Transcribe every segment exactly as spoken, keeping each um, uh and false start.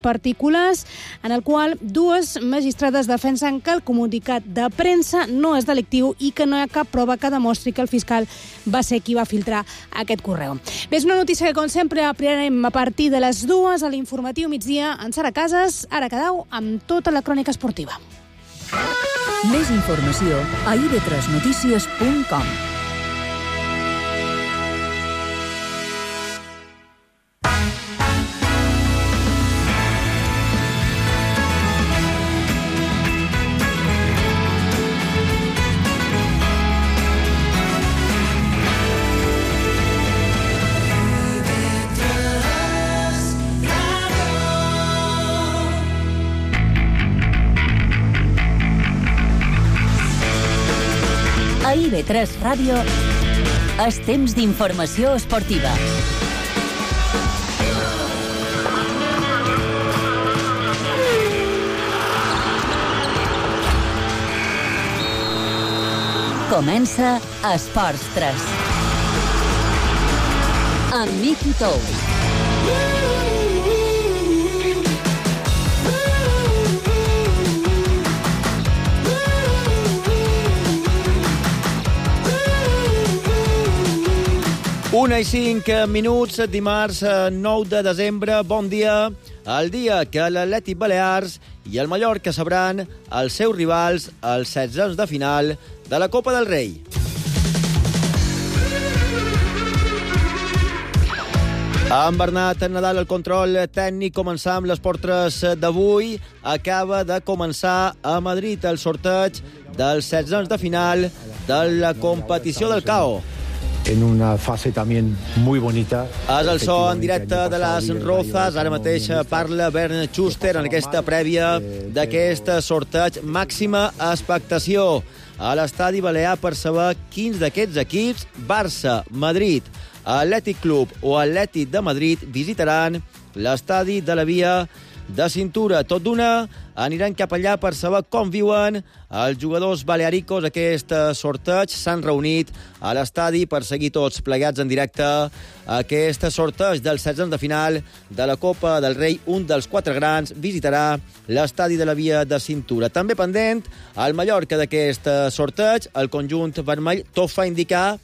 particulars, en el qual dues magistrades defensen que el comunicat de premsa no és delictiu i que no hi ha cap prova que demostri que el fiscal va ser qui va filtrar aquest correu. Bé, és una notícia que, com sempre, aprirem a partir de les dues a l'informatiu migdia en Sara Casas. Ara quedeu amb tota la crònica esportiva. Més informació a i be tres notícies punt com. A i be tres Ràdio és temps d'informació esportiva. Comença Esports tres. Amb Miki Tous. Una i cinc minuts, dimarts nou de desembre. Bon dia. El dia que l'Atlètic Balears i el Mallorca sabran els seus rivals als setzents de final de la Copa del Rei. Amb Bernat Nadal al control tècnic, començar amb l'Esport tres d'avui. Acaba de començar a Madrid el sorteig dels setzents de final de la competició del C A O. En una fase también muy bonita. És el so en directe de les Rozas. Ara mateix parla Bernd Schuster en aquesta prèvia d'aquest sorteig. Màxima expectació a l'estadi balear per saber quins d'aquests equips, Barça, Madrid, Atlètic Club o Atlètic de Madrid, visitaran l'estadi de la Via de Cintura. Tot d'una aniran cap allà per saber com viuen els jugadors balearicos aquest sorteig. S'han reunit a l'estadi per seguir tots plegats en directe aquest sorteig dels setzents de final de la Copa del Rei. Un dels quatre grans visitarà l'estadi de la Via de Cintura. També pendent el Mallorca d'aquest sorteig. El conjunt vermell tot fa indicar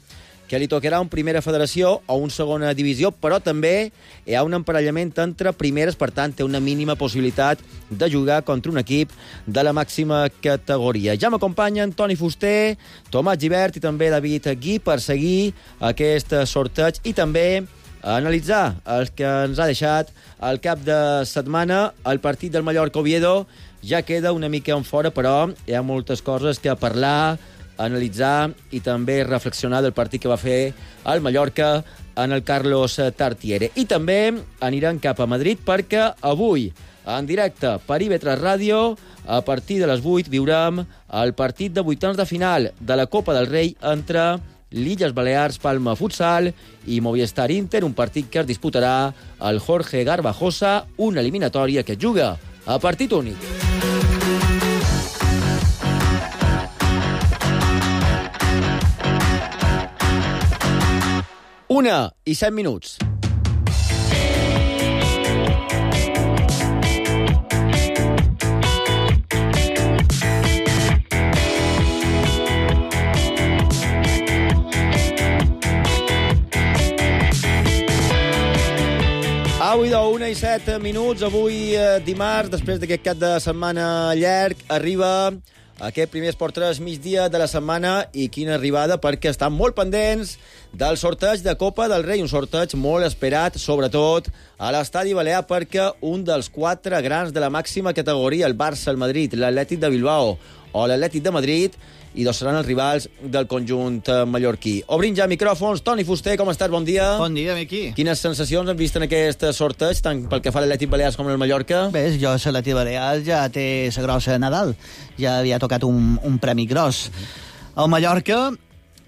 que li tocarà un primera federació o un segona divisió, però també hi ha un emparellament entre primeres, per tant, té una mínima possibilitat de jugar contra un equip de la màxima categoria. Ja m'acompanyen Toni Fuster, Tomàs Gibert i també David Gui per seguir aquest sorteig i també analitzar el que ens ha deixat al cap de setmana. El partit del Mallorca-Oviedo ja queda una mica en fora, però hi ha moltes coses que parlar, analitzar i també reflexionar del partit que va fer el Mallorca en el Carlos Tartiere. I també aniran cap a Madrid perquè avui, en directe per i be tres Ràdio, a partir de les vuit viurem el partit de vuitens de final de la Copa del Rei entre l'Illes Balears Palma Futsal i Movistar Inter, un partit que es disputarà al Jorge Garbajosa, una eliminatòria que juga a partit únic. Una i set minuts. Avui d'una i set minuts, avui eh, dimarts, després d'aquest cap de setmana llarg, arriba aquest primer Esport tres migdia de la setmana. I quina arribada, perquè estan molt pendents del sorteig de Copa del Rei, un sorteig molt esperat, sobretot a l'estadi balear, perquè un dels quatre grans de la màxima categoria, el Barça, el Madrid, l'Atlètic de Bilbao o l'Atlètic de Madrid, i dos seran els rivals del conjunt mallorquí. Obrim ja micròfons. Toni Fuster, com estàs? Bon dia. Bon dia, Miqui. Quines sensacions han vist en aquest sorteig, tant pel que fa a l'Atlètic Balears com al Mallorca? Bé, jo a l'Atlètic Balears ja té la grossa de Nadal. Ja havia tocat un, un premi gros. El Mallorca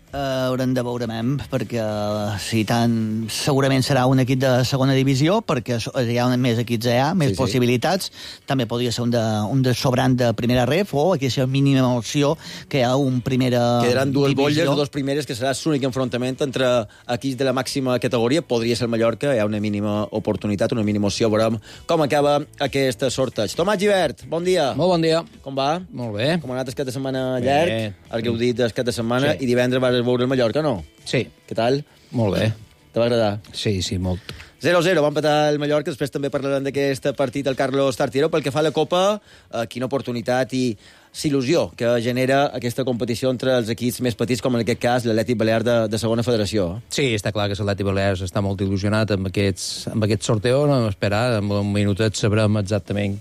Uh, haurem de veure mem, perquè uh, si tant, segurament serà un equip de segona divisió, perquè hi ha més equips A, més sí, possibilitats. Sí. També podria ser un de, un de sobrant de primera ref, o aquesta mínima opció que hi ha un primera Quedaran dues divisió. bolles, les dues primeres, que serà l'únic enfrontament entre equips de la màxima categoria. Podria ser el Mallorca, hi ha una mínima oportunitat, una mínima opció. Veurem com acaba aquest sorteig. Tomàs Gibert, bon dia. Molt bon dia. Com va? Molt bé. Com ha anat el cap de setmana llarg, el que heu dit el cap de setmana, Sí. i divendres vas veure el Mallorca, no? Sí. Què tal? Molt bé. Te va agradar? Sí, sí, molt. zero a zero, va empatar el Mallorca, després també parlarem d'aquest partit del Carlos Tartiere. Pel que fa a la Copa, eh, quina oportunitat i il·lusió que genera aquesta competició entre els equips més petits, com en aquest cas l'Atlètic Balear de, de segona federació. Sí, està clar que l'Atlètic Balears està molt il·lusionat amb, aquests, amb aquest sorteo. No hem esperat, en un minutet sabrem exactament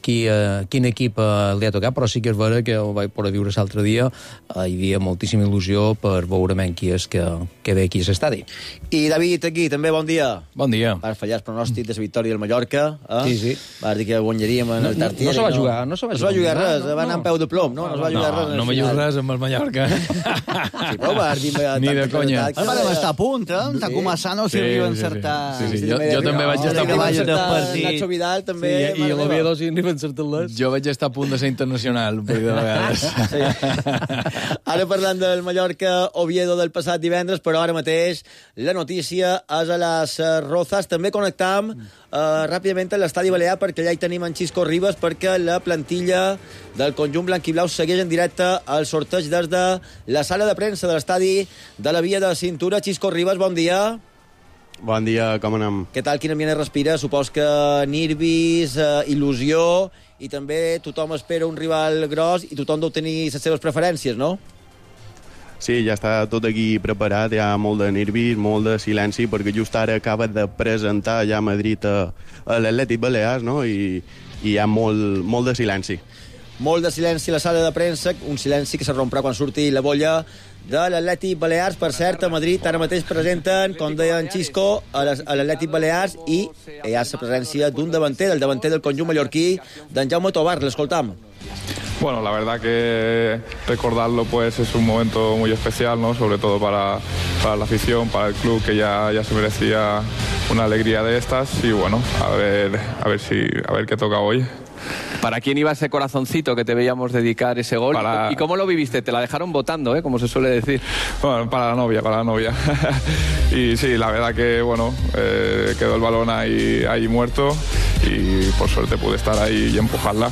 qui, eh, quin equip eh, li ha tocat, però sí que és vera que ho vaig poder viure l'altre dia. Eh, hi havia moltíssima il·lusió per veure qui és que, que ve aquí a l'estadi. I David, aquí, també bon dia. Bon dia. Vas fallar el pronòstic de la victòria del Mallorca. Eh? Sí, sí. Vas dir que guanyaríem en el Tartiere. No, no se va jugar, no se va no jugar, jugar res, no, no, va anar no. amb peu de plom, no? No es va jugar No, res. no me dius res amb el Mallorca. Sí, però vas dir... Ni de conya. Ara vam estar a punt, eh? Està començant a Sí, servir sí, encertar... sí, sí, sí. Jo, jo també vaig estar a punt. vaig encertar partir. Nacho Vidal, també. Sí, i l'Oviedo sí n'hi van encertar-les. Jo vaig estar a punt de ser internacional, un parell de vegades. Sí. Ara parlant del Mallorca-Oviedo del passat divendres, però ara mateix la notícia és a les Rozas. També connectam eh, ràpidament a l'estadi Balear, perquè allà hi tenim en Xisco Ribas, perquè la plantilla del conjunt blanquiblau segueix en directe el sorteig des de la sala de premsa de l'estadi de la Via de Cintura. Xisco Ribas, bon dia. Bon dia, com anem? Què tal, quin ambient es respira? Supos que nervis, eh, il·lusió, i també tothom espera un rival gros i tothom deu tenir les seves preferències, no? Sí, ja està tot aquí preparat, hi ha molt de nervis, molt de silenci, perquè just ara acaba de presentar ja a Madrid a, a l'Atlètic Balears, no? I, i hi ha molt, molt de silenci. Molt de silenci a la sala de premsa, un silenci que se romprà quan surti la bolla de l'Atlètic Balears. Per cert, a Madrid ara mateix presenten, com deia en Xisco, a l'Atlètic Balears, i hi ha la presència d'un davanter, del davanter del conjunt mallorquí, d'en Jaume Tobar. L'escoltam. Bueno, la verdad que recordarlo pues es un momento muy especial, ¿no? Sobre todo para, para la afición, para el club, que ya, ya se merecía una alegría de estas, y bueno, a ver, a ver si a ver qué toca hoy. ¿Para quién iba ese corazoncito que te veíamos dedicar ese gol? Para... ¿Y cómo lo viviste? Te la dejaron votando, ¿eh? Como se suele decir. Bueno, para la novia, para la novia. Y sí, la verdad que, bueno, eh, quedó el balón ahí, ahí muerto, y por suerte pude estar ahí y empujarla.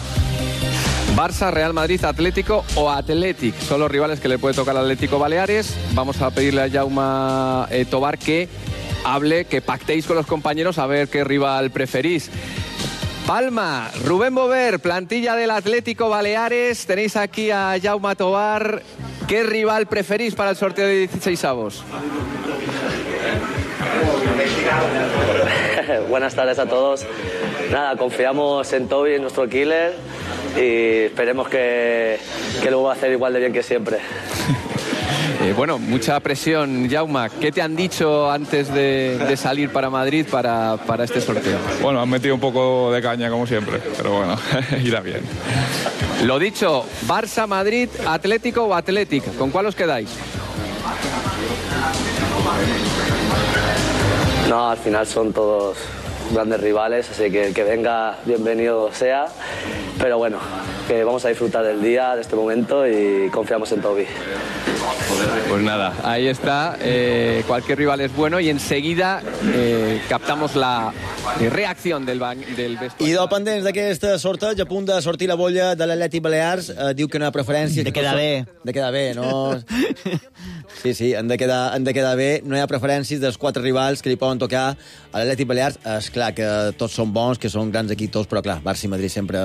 Barça, Real Madrid, Atlético o Athletic son los rivales que le puede tocar al Atlético Baleares. Vamos a pedirle a Jaume eh, Tobar que hable, que pactéis con los compañeros a ver qué rival preferís. Palma, Rubén Bover, plantilla del Atlético Baleares. Tenéis aquí a Jaume Tobar. ¿Qué rival preferís para el sorteo de dieciseisavos? Buenas tardes a todos. Nada, confiamos en Toby, en nuestro killer, y esperemos que, que lo va a hacer igual de bien que siempre. Eh, bueno, mucha presión, Jaume. ¿Qué te han dicho antes de, de salir para Madrid para, para este sorteo? Bueno, han metido un poco de caña como siempre, pero bueno, irá bien. Lo dicho, Barça, Madrid, Atlético o Athletic. ¿Con cuál os quedáis? No, al final son todos grandes rivales, así que el que venga, bienvenido sea. Pero bueno, que vamos a disfrutar del día, de este momento, y confiamos en Toby. Pues nada, ahí está. Eh, cualquier rival es bueno, y enseguida eh, captamos la reacción del, del vestuari. I de pendents d'aquest sorteig, a punt de sortir la bolla de l'Atlètic Balears, eh, diu que no hi ha preferències. De quedar bé. De quedar bé, no... Sí, sí, han de, quedar, han de quedar bé. No hi ha preferències dels quatre rivals que li poden tocar a l'Atlètic Balears. És clar que tots són bons, que són grans equips tots, però clar, Barça i Madrid sempre,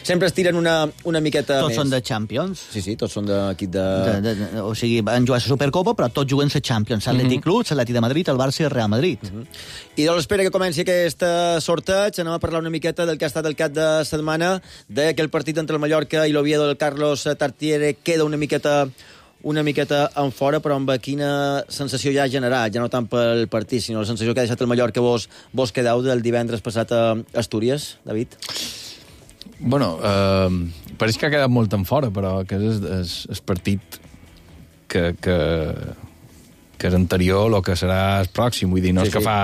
sempre es tiren una, una miqueta tots més. Tots són de Champions. Sí, sí, tots són d'equip de... de... De, de... O sigui, van jugar a la Supercopa, però tots juguen a Champions. L'Atlètic Mhm. Club, l'Atlètic de Madrid, el Barça i el Real Madrid. Mhm. I doncs espera que comenci aquest sorteig. Anem a parlar una miqueta del que ha estat el cap de setmana, de que el partit entre el Mallorca i l'Oviedo del Carlos Tartiere queda una miqueta una miqueta en fora, però amb quina sensació ja ha generat, ja no tant pel partit, sinó la sensació que ha deixat el Mallorca vos, vos quedeu del divendres passat a Astúries, David? Bueno, eh, pareix que ha quedat molt en fora, però que és el partit que, que, que és anterior el que serà el pròxim, vull dir, no Sí, és que sí. fa...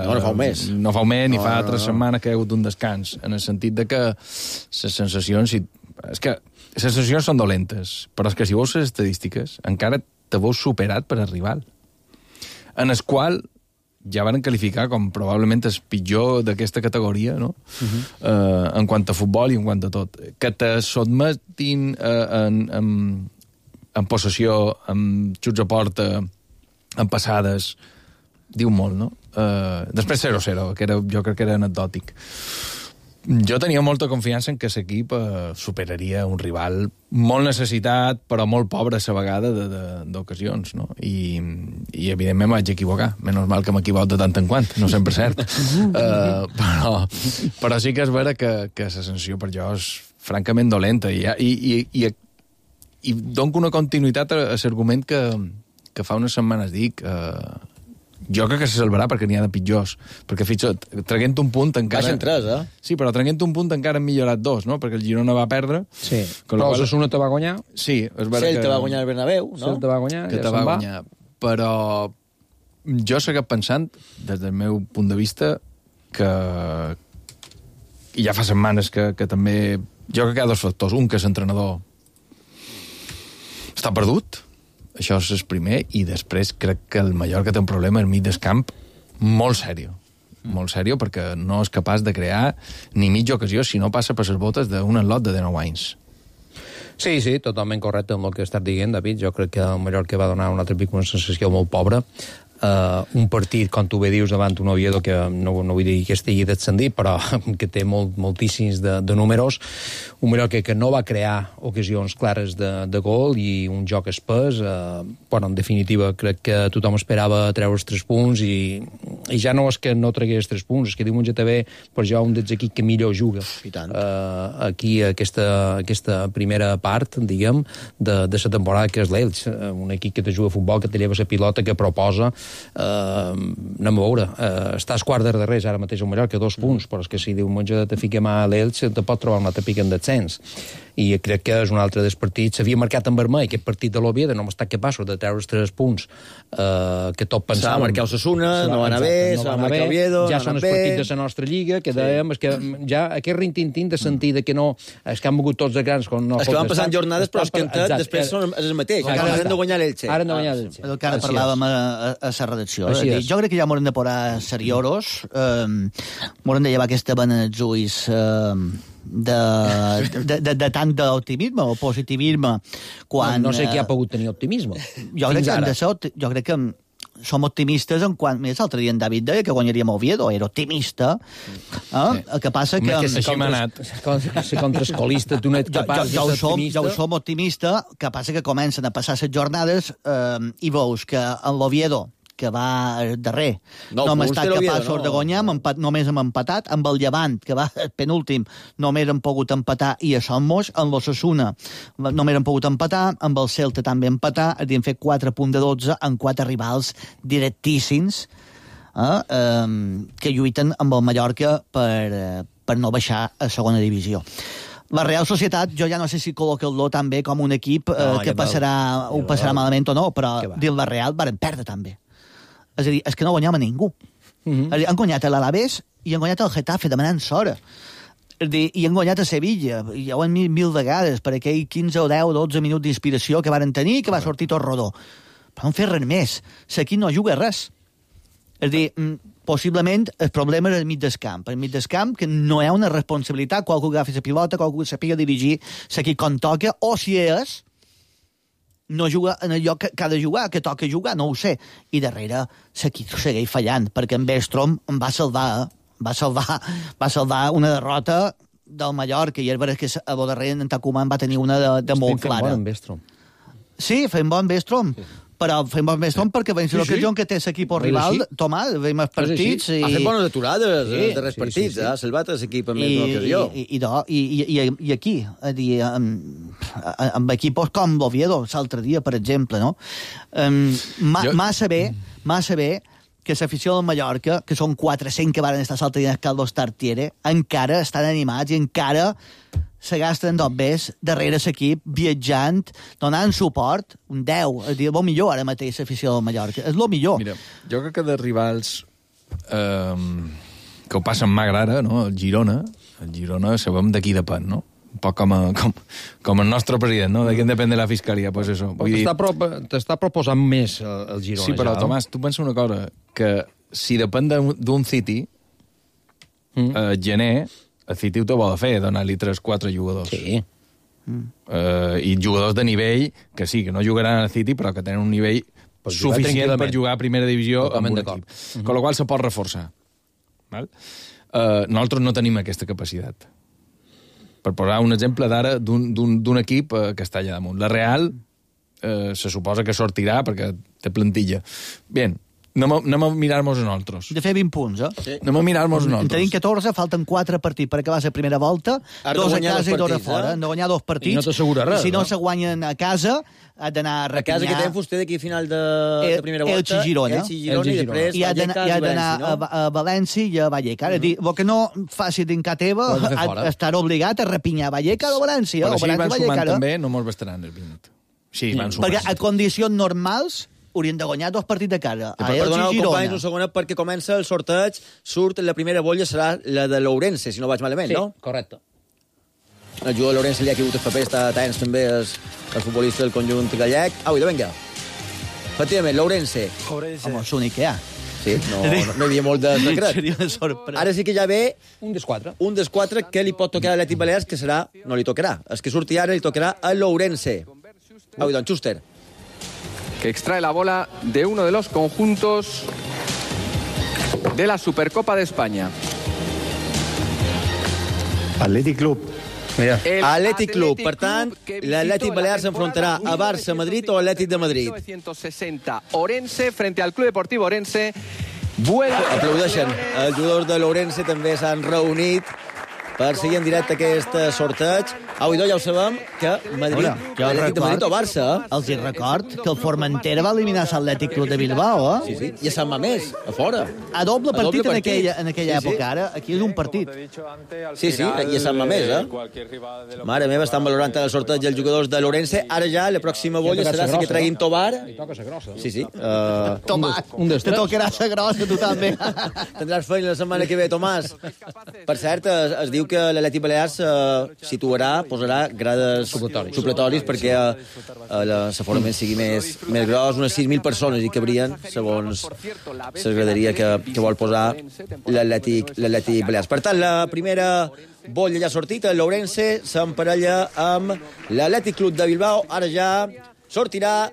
No, no fa un mes. No fa un mes, ni No, fa no, tres no. setmanes que hi ha hagut un descans, en el sentit de que les sensacions... Si... És que les sensacions són dolentes, però és que si veus les estadístiques, encara te veus superat per el rival, en el qual ja van qualificar com probablement el pitjor d'aquesta categoria, no? Uh-huh. eh, en quant a futbol i en quant a tot. Que te sotmetin eh, en, en, en possessió, en xuts a porta, en passades, diu molt, no? Eh, després zero zero, que era, jo crec que era anecdòtic. Jo tenia molta confiança en que l'equip eh, superaria un rival molt necessitat, però molt pobre a la vegada d'ocasions, no? I, i evidentment em vaig equivocar. Menys mal que m'equivoco de tant en quant, no sempre cert. uh, però, però sí que és vera que, que la sensació per jo és francament dolenta. I, i, i, i, i dono una continuïtat a, a l'argument que, que fa unes setmanes dic... Uh, jo crec que se salvarà perquè n'hi ha de pitjors. Perquè, fixa't, traguent un punt encara... Baixen tres, eh? Sí, però traguent un punt encara han millorat dos, no? Perquè el Girona va perdre. Sí, però el Osasuna te va guanyar. Sí, és vera Celta que... va guanyar el Bernabéu, no? Celta va guanyar, que ja te se'n va va. guanyar. Però jo segueixo pensant, des del meu punt de vista, que... I ja fa setmanes que, que també... Jo crec que hi ha dos factors. Un, que l'entrenador està perdut, això és el primer, i després crec que el Mallorca té un problema al mig del camp molt sèrio, molt sèrio, perquè no és capaç de crear ni mitja ocasió si no passa per les botes d'un enlot de dinou anys. Sí, sí, totalment correcte amb el que estàs dient, David. Jo crec que el Mallorca va donar un altre pic, una sensació molt pobra. Uh, un partit, com tu bé dius, davant un Oviedo que no, no vull dir que estigui descendit, però que té molt, moltíssims de, de números, un Mallorca que no va crear ocasions clares de, de gol i un joc espès. Uh, bueno, en definitiva, crec que tothom esperava treure els tres punts i, i ja no és que no tregués tres punts, és que diumenge també per jo un dels equips que millor juga. I tant. Uh, aquí, aquesta, aquesta primera part, diguem, de, de la temporada, que és l'Elx, un equip que te juga a futbol, que te lleva la pilota, que proposa. Uh, anem a veure, uh, estàs quart de darrers ara mateix al Mallorca, dos punts, però és que si diumenge te fiquem a l'Elx te pot trobar un altre pic en descens, i crec que és un altre dels partits. S'havia marcat en vermell aquest partit de l'Oviedo, no hem estat capaços de treure els tres punts uh, que tot pensàvem. S'ha marcat Osasuna, no va anar bé, s'ha marcat Oviedo, ja no són els partits de la nostra lliga, que dèiem, és que ja aquest rintintín de sentir de que no, és que han mogut tots de grans, com no... És que van passant jornades, però és que després són els mateixos, encara han de guanyar l'Elche. Ara han de guanyar l'Elche. El que ara parlàvem a, a, a la redacció. Així Dir, és. jo crec que ja m'haurem de posar seriosos, eh, m'haurem de llevar aquesta vena als ulls eh, de, de, de, de tant d'optimisme o positivisme quan... No, no sé qui ha pogut tenir optimisme. Jo crec que hem de ser, opti- jo crec que som optimistes en quan... Més, l'altre dia en David deia que guanyaríem a Oviedo, era optimista. Eh? El que passa que... Home, Així m'ha anat. Ser contraescolista, tu no ets Jo, capaç jo, jo, de ho ser som, optimista. jo ho som optimista, que passa que comencen a passar les jornades eh, i veus que en l'Oviedo, que va darrer, No, no hem punts estat té l'Oviedo, capaços no. de guanyar, hem empat, només hem empatat, amb el Llevant, que va penúltim, només hem pogut empatar, i a Somos, amb l'Osasuna, només hem pogut empatar, amb el Celta també empatar, hem fet quatre punts de dotze en quatre rivals directíssims, eh, eh, que lluiten amb el Mallorca per, eh, per no baixar a segona divisió. La Real Societat, jo ja no sé si col·loca-lo també com un equip eh, No, que que val. passarà, ho Que passarà val. malament o no, però Que va. dins la Real varen perdre també. És a dir, és que no guanyam a ningú. Mhm. És a dir, han guanyat a l'Alavés i han guanyat al Getafe demanant s'hora. És a dir, i han guanyat a Sevilla, i ja ho han dit mil vegades, per aquell quinze o deu o dotze minuts d'inspiració que varen tenir i que va sortir tot rodó. Però no han fet res més. L'equip no juga res. És a dir, mm, possiblement el problema és al mig del camp. Al mig del camp, que no hi ha una responsabilitat, qualcú que agafi la pilota, qualcú que sàpiga dirigir l'equip com toca, o si és, no juga en el lloc que, que ha de jugar, que toca jugar, no ho sé. I darrere l'equip segueix fallant, perquè en Bestrom em va salvar, eh? va salvar, va salvar una derrota del Mallorca, i és veritat que a bo darrere en Tacumán va tenir una de, de molt clara. Bon en Bestrom. Sí, fem bon Bestrom. Sí. Però fem bon Bestrom perquè veiem Sí, sí, sí. l'ocasió que té l'equip És rival, així. Tomà, veiem els partits... Ha fet bones aturades Sí, sí, de res sí, partits, sí, sí. eh? Ha salvat l'equip amb I, més d'una ocasió. i, i, do, i, i, i, i aquí, a dir, amb, amb equipos com l'Oviedo, l'altre dia, per exemple, no? Um, ma, Jo- massa bé, massa bé, que l'afició del Mallorca, que són quatre-cents que van estar l'altre dia al Carlos Tartiere, encara estan animats i encara se gasten dos bes darrere l'equip, viatjant, donant suport, un deu, és a dir, el millor ara mateix l'afició del Mallorca, és el millor. Mira, jo crec que de rivals eh, que ho passen mal ara, no? El Girona, el Girona sabem de qui depèn, no? Un poc com, a, com, com el nostre president, no? De qui depèn de la fiscalia, pues eso. T'està pro, proposant més el, el Girona, sí, però, ja, Tomàs, tu pensa una cosa, que si depèn d'un City, mm. eh, gener, el City ho te vol fer, donar-li tres quatre jugadors. Sí. Mm. Eh, I jugadors de nivell, que sí, que no jugaran al City, però que tenen un nivell per suficient per jugar a primera divisió amb un equip. Mm-hmm. Con la qual se pot reforçar. Val? Eh, nosaltres no tenim aquesta capacitat. Per posar un exemple d'ara d'un equip eh, que està allà damunt. La Real eh, se suposa que sortirà perquè té plantilla. Bé, anem a, anem a mirar-nos a nosaltres. De fer vint punts, eh? Sí. Anem a mirar-nos a nosaltres. En tenim catorze, falten quatre partits per acabar la primera volta, Has dos a guanyar casa dos i dos a partits, fora. eh? Han de guanyar dos partits. I no t'assegura res, Si no, no? se guanyen a casa, has d'anar a A repinyar... casa que té vostè d'aquí a final de, El- de primera volta. Elche i Girona. Elche i Girona, Elche i i després I ha d'anar Vallecas i ha i d'anar València, no? a, a València i a Vallecas. És dir, el que no faci d'encar teva, Ho has de fer fora. estarà obligat a repinyar Vallecas o València. Però o així van València, sumant Vallecas, també, no mos bastaran els vint. Sí, van sumant. Perquè a condicions normals haurien de guanyar dos partits de casa. Que A per Elche perdonar, i companys, Girona. un segonet, perquè comença el sorteig, surt la primera bolla, serà la de l'Ourense, si no vaig malament, Sí, no? correcte. El jugador de l'Ourense li ha caigut el paper, està atents també el, el futbolista del conjunt gallec. Au, idò, vinga. Efectivament, l'Ourense. Home, és l'únic que hi ha. Sí, no, no, no hi havia molt de secret. Seria una sorpresa. Ara sí que ja ve Un dels quatre. un dels quatre que li pot tocar a l'Atlètic Balears, que serà, no li tocarà. El que surti ara li tocarà a l'Ourense. Au, idò, Schuster. Que extrae la bola de uno de los conjuntos de la Supercopa de España. Athletic Club. Mira. El Atlètic Club. Per Club tant, que visitó l'Atlètic la Balears temporada s'enfrontarà a Barça, Madrid o Atlètic de Madrid. mil novecientos sesenta. Orense frente al Club Deportivo Orense. Vuelve. Aplaudeixen. Els jugadors de l'Ourense també s'han reunit per seguir en directe aquest sorteig. Au, idò, ja ho sabem, que Madrid, Hola, jo l'Atlètic de Madrid o record- Barça, eh? Els hi record que el Formentera va eliminar l'Atlètic Club de Bilbao, eh? Sí, sí. I a Sant Mamés, a fora. A doble A partit, doble en partit. aquella, en aquella Sí, sí. època. Ara, aquí és un partit. Sí, sí, i a Sant Mamés, eh? Mare meva, estan valorant el sorteig dels jugadors de l'Ourense. Ara ja, la pròxima bolla serà si que treguin Tobar. Li toca la grossa. Sí, sí. Uh, Tomàs, un dels te tres. tocarà la grossa, tu també. tindràs feina la setmana que ve, Tomàs. Per cert, es, es diu que l'Atlètic Balears uh, situarà, posarà grades supletoris, supletoris perquè uh, uh, l'aforament sigui més, més gros. Unes sis mil persones hi cabrien, segons la graderia que, que vol posar l'Atlètic l'Atlètic Balears. Per tant, la primera bolla ja ha sortit, l'Ourense s'emparella amb l'Atlètic Club de Bilbao. Ara ja sortirà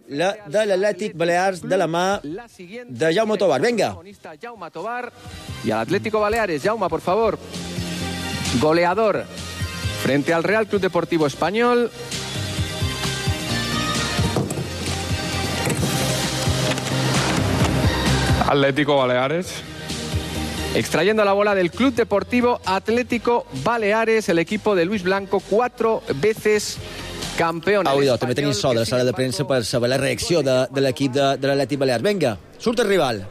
la de l'Atlètic Balears de la mà de Jaume Tobar. Vinga. Jaume Tobar y al Atlético Baleares. Jaume, por favor. Goleador frente al Real Club Deportivo Español. Atlético Baleares. Extrayendo la bola del Club Deportivo Atlético Baleares, el equipo de Luis Blanco, cuatro veces campeón. Au, idò, també tenim so de la sala de premsa per saber la reacció de, de l'equip de, de l'Atlètic Balears. Vinga, surt el rival.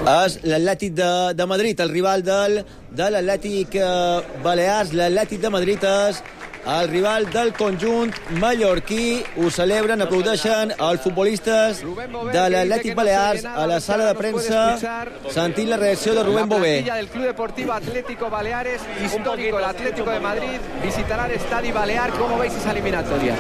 És l'Atlètic de, de Madrid, el rival del, de l'Atlètic eh, Balears. L'Atlètic de Madrid és el rival del conjunt mallorquí. Ho celebren, aplaudeixen els futbolistes de l'Atlètic Balears a la sala de premsa, sentint la reacció de Rubén Bové. La plantilla del Club Deportivo Atlético Baleares, histórico el Atlético de Madrid, visitará el Estadio Balear. ¿Cómo veis esa eliminatoria?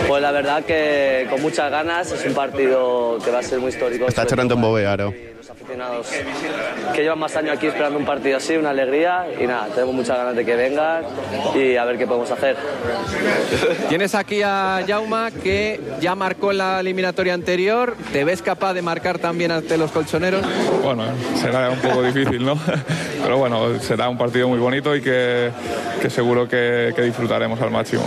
Pues la verdad que con muchas ganas, es un partido que va a ser muy histórico. Està xerrant amb Bové, ara. Los aficionados que llevan más años aquí esperando un partido así, una alegría, y nada, tenemos muchas ganas de que vengan y a ver qué podemos hacer. Tienes aquí a Jaume, que ya marcó en la eliminatoria anterior. ¿Te ves capaz de marcar también ante los colchoneros? Bueno, será un poco difícil, ¿no? Pero bueno, será un partido muy bonito y que, que seguro que, que disfrutaremos al máximo.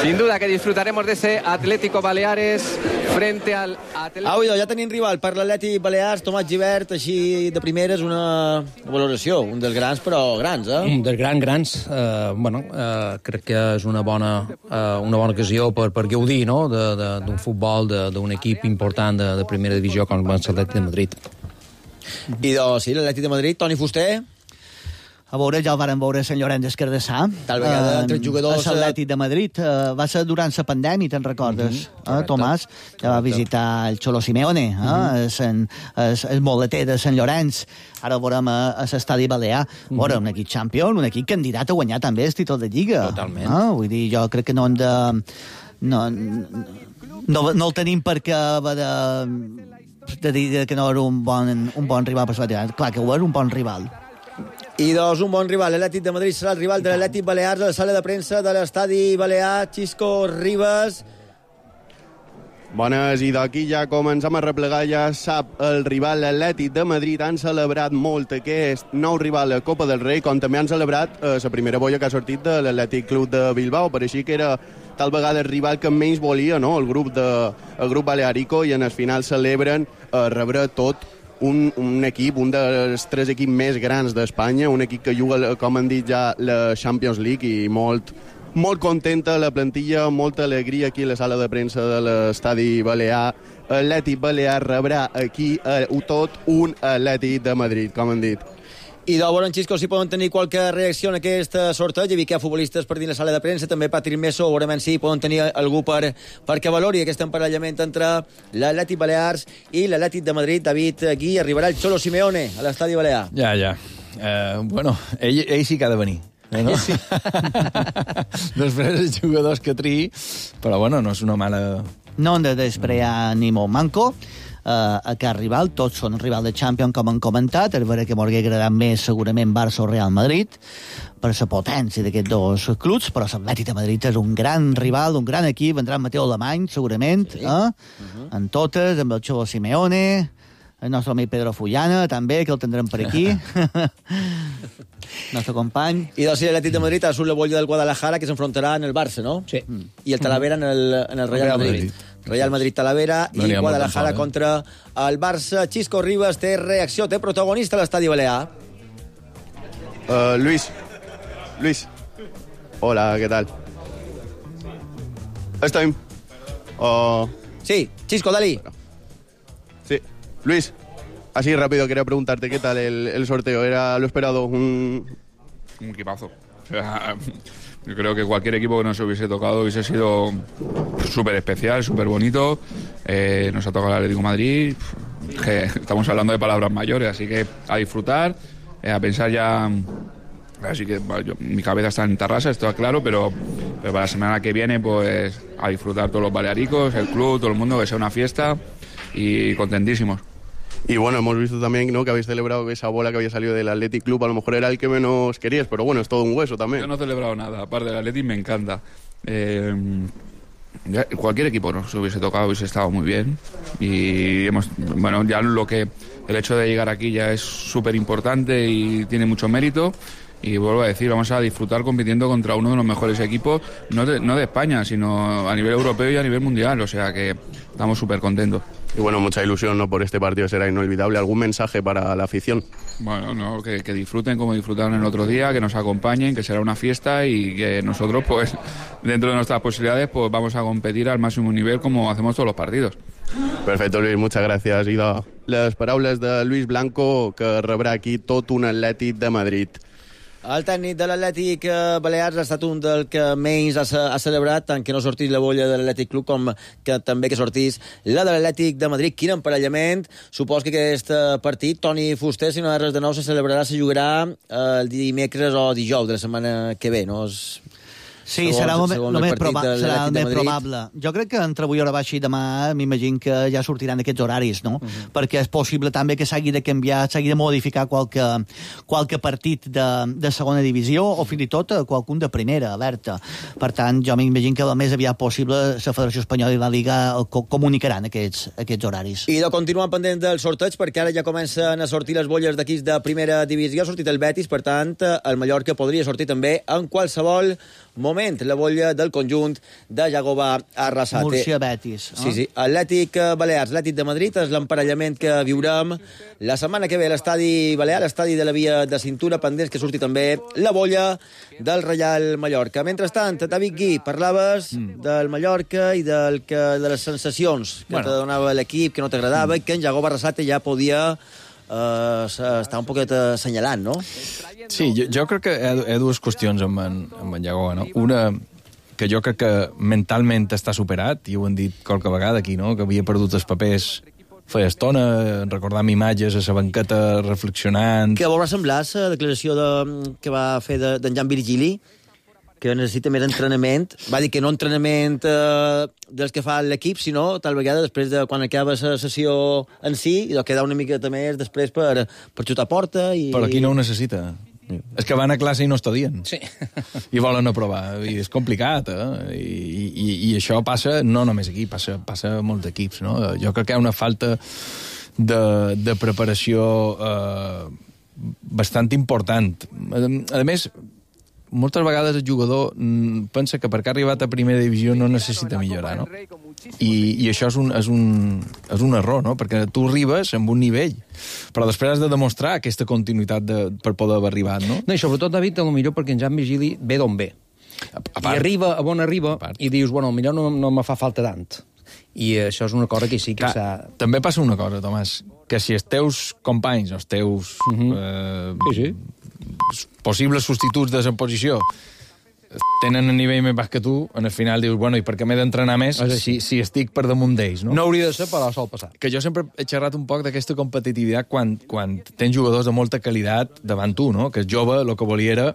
Sin duda que disfrutaremos de ese Atlético Baleares frente al Atlético. Au, ja tenim rival per l'Atlètic Balears, Tomàs Gibert, així de primeres una valoració, un dels grans, però grans, eh? Un dels grans, grans. Eh, bueno, eh, crec que és una bona, eh, una bona ocasió per, per gaudir, no?, d'un futbol, d'un equip important de, de primera divisió com l'Atlètic de Madrid. I doncs, sí, l'Atlètic de Madrid, Toni Fuster. A veure, ja el varen veure a Sant Llorenç des Cardassà. Tal vegada, entre jugadors... A l'Atlètic de Madrid. Uh, va ser durant la pandèmia, te'n recordes? Mm -hmm, eh, Tomàs? Ja va visitar el Cholo Simeone, eh? Mm -hmm. el, el moleter de Sant Llorenç. Ara el veurem a, a l'estadi Balear. Mm -hmm. Veure, un equip champion, un equip candidat a guanyar també el títol de Lliga. Totalment. Eh? Vull dir, jo crec que no hem de... No, no, no el tenim perquè va de, de dir que no era un bon, un bon rival per la clar que ho és un bon rival. I doncs un bon rival, l'Atlètic de Madrid serà el rival de l'Atlètic Balears a la sala de premsa de l'estadi Balear. Xisco Ribas. Bones, i d'aquí ja comencem a replegar, ja sap el rival, l'Atlètic de Madrid. Han celebrat molt aquest nou rival a Copa del Rei, com també han celebrat eh, la primera boia que ha sortit de l'Atlètic Club de Bilbao. Per així que era tal vegada el rival que menys volia, no?, el grup, de, el grup balearico, i en el final celebren eh, rebre tot Un, un equip, un dels tres equips més grans d'Espanya, un equip que juga, com han dit ja, la Champions League, i molt, molt contenta la plantilla, molta alegria aquí a la sala de premsa de l'estadi Balear. Atlètic Balear rebrà aquí eh, tot un Atlètic de Madrid, com han dit. I de veure, Xisco, si poden tenir qualque reacció en aquest sorteig. Hi havia futbolistes per dins la sala de premsa, també Patrick Meso, veurem si poden tenir algú per, perquè valori aquest emparellament entre l'Atlètic Balears i l'Atlètic de Madrid. David Gui, arribarà el Cholo Simeone a l'estadi Balear. Ja, ja. Eh, bueno, ell, ell sí que ha de venir. No? Sí. Després els jugadors que triï, però bueno, no és una mala... No hem de desprear ni molt manco. Uh, a cada rival, tots són rival de Champions, com han comentat. És vera que m'hauria agradat més segurament Barça o Real Madrid per la potència d'aquests dos clubs, però l'Atlètic de Madrid és un gran rival, un gran equip. Vendrà Mateu Alemany, segurament, sí. eh? uh-huh. En totes, amb el Cholo Simeone, el nostre amic Pedro Fullana, també, que el tindrem per aquí. Nostre company. I doncs, sí, l'Atlètic de Madrid ha surt la bolla del Guadalajara, que s'enfrontarà en el Barça, no? Sí. I el Talavera en el, en el Real, Real Madrid. Madrid. Real Madrid-Talavera no i Guadalajara contra el Barça. Xisco Ribas té reacció, té protagonista a l'estadi Balear. Uh, Luis. Luis. Hola, ¿qué tal? Estoy. Uh... Sí, Xisco, Dalí. Sí, Luis. Así rápido, quería preguntarte qué tal el, el sorteo. ¿Era lo esperado? Un, un equipazo. O sea, yo creo que cualquier equipo que nos hubiese tocado hubiese sido súper especial, súper bonito. Eh, nos ha tocado el Atlético de Madrid. Que estamos hablando de palabras mayores, así que a disfrutar, eh, a pensar ya. Así que bueno, yo, mi cabeza está en Tarrasa, esto es claro, pero, pero para la semana que viene, pues a disfrutar todos los balearicos, el club, todo el mundo, que sea una fiesta y contentísimos. Y bueno, hemos visto también, ¿no?, que habéis celebrado esa bola que había salido del Athletic Club. A lo mejor era el que menos querías, pero bueno, es todo un hueso también. Yo no he celebrado nada, aparte del Athletic me encanta. Eh, ya, cualquier equipo nos hubiese tocado, hubiese estado muy bien. Y hemos, bueno, ya lo que el hecho de llegar aquí ya es súper importante y tiene mucho mérito. Y vuelvo a decir, vamos a disfrutar compitiendo contra uno de los mejores equipos, no de, no de España, sino a nivel europeo y a nivel mundial. O sea que estamos súper contentos. Y bueno, mucha ilusión, ¿no?, por este partido, será inolvidable. ¿Algún mensaje para la afición? Bueno, no, que, que disfruten como disfrutaron el otro día, que nos acompañen, que será una fiesta y que nosotros, pues, dentro de nuestras posibilidades, pues vamos a competir al máximo nivel como hacemos todos los partidos. Perfecto, Luis, muchas gracias. I de les paraules de Luis Blanco, que rebrà aquí tot un Atlètic de Madrid. El tècnic de l'Atlètic Balears ha estat un del que menys ha, ha celebrat, tant que no sortís la bolla de l'Atlètic Club com que també que sortís la de l'Atlètic de Madrid. Quin emparellament. Supos que aquest partit, Toni Fuster, si no hi ha res de nou, se celebrarà, se jugarà el dimecres o dijous de la setmana que ve, no? És... Sí, segons, serà, el, el, més, proba serà el més probable. Jo crec que entre avui hora baixa i demà m'imagino que ja sortiran aquests horaris, no? Uh -huh. Perquè és possible també que s'hagi de canviar, s'hagi de modificar qualque, qualque partit de, de segona divisió o fins i tot qualcun de primera, alerta. Per tant, jo m'imagino que el més aviat possible la Federació Espanyola i la Liga comunicaran aquests, aquests horaris. I de continuar pendent del sorteig, perquè ara ja comencen a sortir les bolles d'equips de primera divisió. Ha sortit el Betis, per tant, el Mallorca podria sortir també en qualsevol moment. moment la bolla del conjunt de Jagoba Arrasate. Múrcia-Betis. Sí, sí. Atlètic Balears, Atlètic de Madrid, és l'emparellament que viurem la setmana que ve a l'estadi Balear, l'estadi de la Via de Cintura, pendents que surti també la bolla del Reial Mallorca. Mentrestant, David Gui, parlaves mm. del Mallorca i del que, de les sensacions que bueno. te donava l'equip, que no t'agradava, mm. i que en Jagoba Arrasate ja podia uh, estar un poquet assenyalant, no? Sí, jo, jo crec que hi ha, hi ha dues qüestions amb en, amb en Jagoba, no? Una, que jo crec que mentalment està superat, i ho hem dit qualque vegada aquí, no? Que havia perdut els papers feia estona, recordant imatges a la banqueta reflexionant... Que va semblar la declaració de, que va fer d'en de, Jan Virgili, que necessita més entrenament. Va dir que no entrenament eh, dels que fa l'equip, sinó tal vegada després de quan acaba la sessió en si, i de quedar una miqueta més després per, per xutar porta. I... Però aquí no ho necessita. És que van a classe i no estudien. Sí. I volen aprovar. I és complicat, eh? I, i, i això passa no només aquí, passa, passa a molts equips, no? Jo crec que hi ha una falta de, de preparació eh, bastant important. A, a més, moltes vegades el jugador pensa que perquè ha arribat a primera divisió no necessita millorar, no? I, i això és un, és, un, és un error, no? Perquè tu arribes amb un nivell, però després has de demostrar aquesta continuïtat de, per poder haver arribat, no? No, i sobretot, David, el millor perquè en Jan Virgili ve d'on ve. A, a part, I arriba a on arriba i dius, bueno, millor no, no me fa falta tant. I això és una cosa que sí que s'ha... També passa una cosa, Tomàs, que si els teus companys, els teus uh-huh. eh, sí, sí. possibles substituts de la posició tenen un nivell més baix que tu, en el final dius, bueno, i per què m'he d'entrenar més si, si estic per damunt d'ells, no? No hauria de ser, però sol passar. Que jo sempre he xerrat un poc d'aquesta competitivitat quan, quan tens jugadors de molta qualitat davant tu, no? Que és jove, el que volia era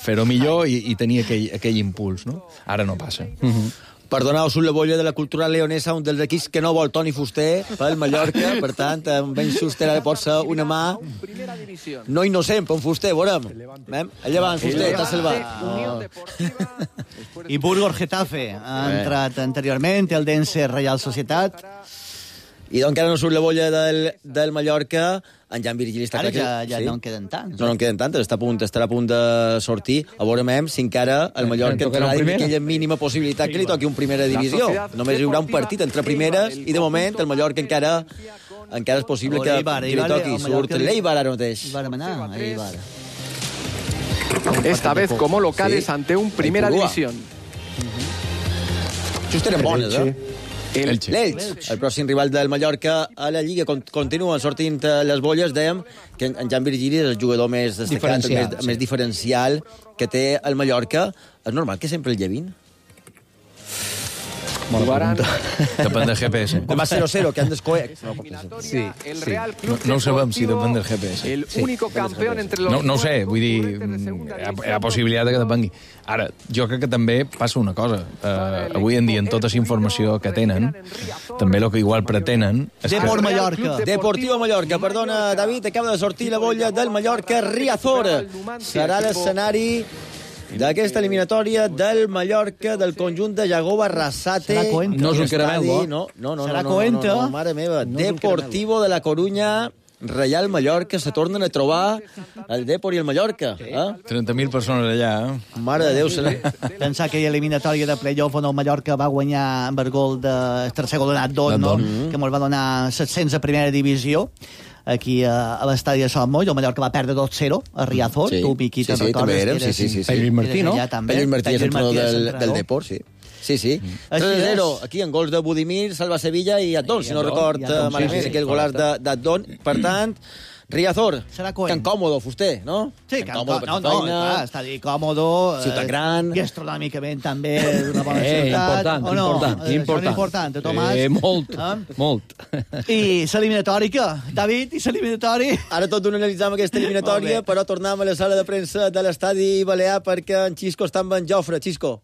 fer-ho millor i, i tenir aquell, aquell impuls, no? Ara no passa. Uh-huh. Perdoneu, surt la bolla de la cultura leonesa, un dels equips que no vol Toni Fuster pel Mallorca, per tant, amb Ben Schuster pot ser una mà no innocent per un Fuster, veurem. Llevant, Fuster, t'ha salvat. Oh. I Burgos Getafe ha entrat anteriorment, el Dense Reial Societat. I doncs encara no surt la bolla del, del Mallorca, en Jan Virgili està Ara clar ja, que... ja sí? no en queden tants. No, no en queden tantes, està a punt, estarà a punt de sortir. A veurem si encara el Mallorca entrarà en aquella mínima possibilitat que li toqui un primera divisió. Només hi haurà un partit entre primeres i de moment el Mallorca encara encara és possible que, Eibar, que li toqui. Surt l'Eibar ara mateix. Vàrem anar a Eibar. Esta vez como locales sí. ante un Primera División. Just eren bones, eh? Elche. L'Elx, el pròxim rival del Mallorca a la Lliga. Continuen sortint les bolles, dèiem que en Jan Virgili és el jugador més destacat, diferencial, més, sí. més diferencial que té el Mallorca. És normal que sempre el llevin? Bona depèn del G P S. Com va zero cero, que han descoet. No, sí, sí. No, no ho sabem si depèn del G P S. El único campeón entre los... No, no ho sé, vull dir, hi ha, hi ha possibilitat que depengui. Ara, jo crec que també passa una cosa. Uh, avui en dia, en tota la informació que tenen, també el que igual pretenen... Deport Mallorca. Deportivo Mallorca. Perdona, David, acaba de sortir la bolla del Mallorca. Riazor serà l'escenari d'aquesta eliminatòria del Mallorca, del conjunt de Jagoba Arrasate. Serà Coenta. No és un caramel, no? No, no, Serà no, no, Coenta. no, no, mare meva. No Deportivo de la Coruña, Reial Mallorca, se tornen a trobar el Depor i el Mallorca. Eh? trenta mil persones allà, eh? Mare de Déu, serà. Pensar que hi ha eliminatòria de playoff on el Mallorca va guanyar amb el gol de tercer gol donat Don, no? Mm-hmm. Que ens va donar set-cents a primera divisió aquí a, a l'estadi de Sant Moll. El Mallorca va perdre dos zero a Riazor. Sí. Tu, Miqui, sí, te'n sí, recordes? Érem, sí, sí, sí, sí. Pello i Martí, no? Pello i Martí és entrenador del, del Depor, sí. Sí, sí. Mm. tres a zero, aquí en gols de Budimir, Salva Sevilla i Adon, si no record malament, sí, sí, aquell golàs d'Adon. Per tant, Riazor, tan còmodo, Fuster, no? Sí, tan còmodo per no, no, clar, està dir còmodo. Ciutat eh, gran. Gastronòmicament també una bona eh, ciutat. Important, o no? important, eh, important. important, Tomàs. Eh, molt, eh? molt. I l'eliminatòria, David, i l'eliminatòria. Ara tot un analitzam aquesta eliminatòria, però tornem a la sala de premsa de l'estadi Balear perquè en Xisco està amb en Jofre. Xisco.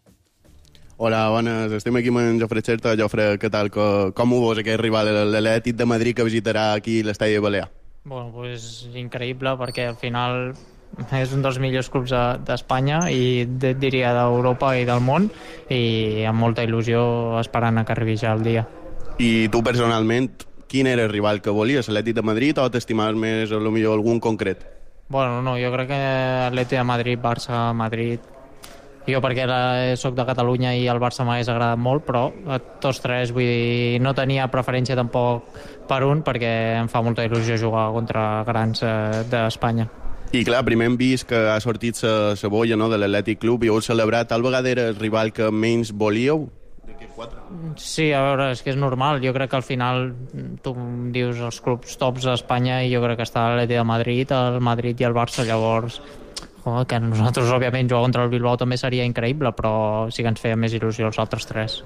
Hola, bones. Estem aquí amb en Jofre Xerta. Jofre, què tal? Com ho veus aquest rival, l'Atlètic de Madrid, que visitarà aquí l'estadi Balear? Bueno, pues increïble, perquè al final és un dels millors clubs d'Espanya i diria d'Europa i del món, i amb molta il·lusió esperant a que arribi ja el dia. I tu personalment, quin era el rival que volies? L'Atlètic de Madrid o t'estimaves més a lo millor algun concret? Bueno, no, jo crec que Atlètic de Madrid, Barça, Madrid, Jo perquè soc de Catalunya i el Barça m'hagués agradat molt, però tots tres, vull dir, no tenia preferència tampoc per un, perquè em fa molta il·lusió jugar contra grans eh, d'Espanya. I clar, primer hem vist que ha sortit la boia, no, de l'Atlètic Club i heu celebrat, tal vegada era el rival que menys volíeu? Sí, a veure, és que és normal. Jo crec que al final tu dius els clubs tops d'Espanya i jo crec que està l'Atlètic de Madrid, el Madrid i el Barça, llavors oh, que nosaltres, òbviament, jugar contra el Bilbao també seria increïble, però sí que ens feia més il·lusió els altres tres.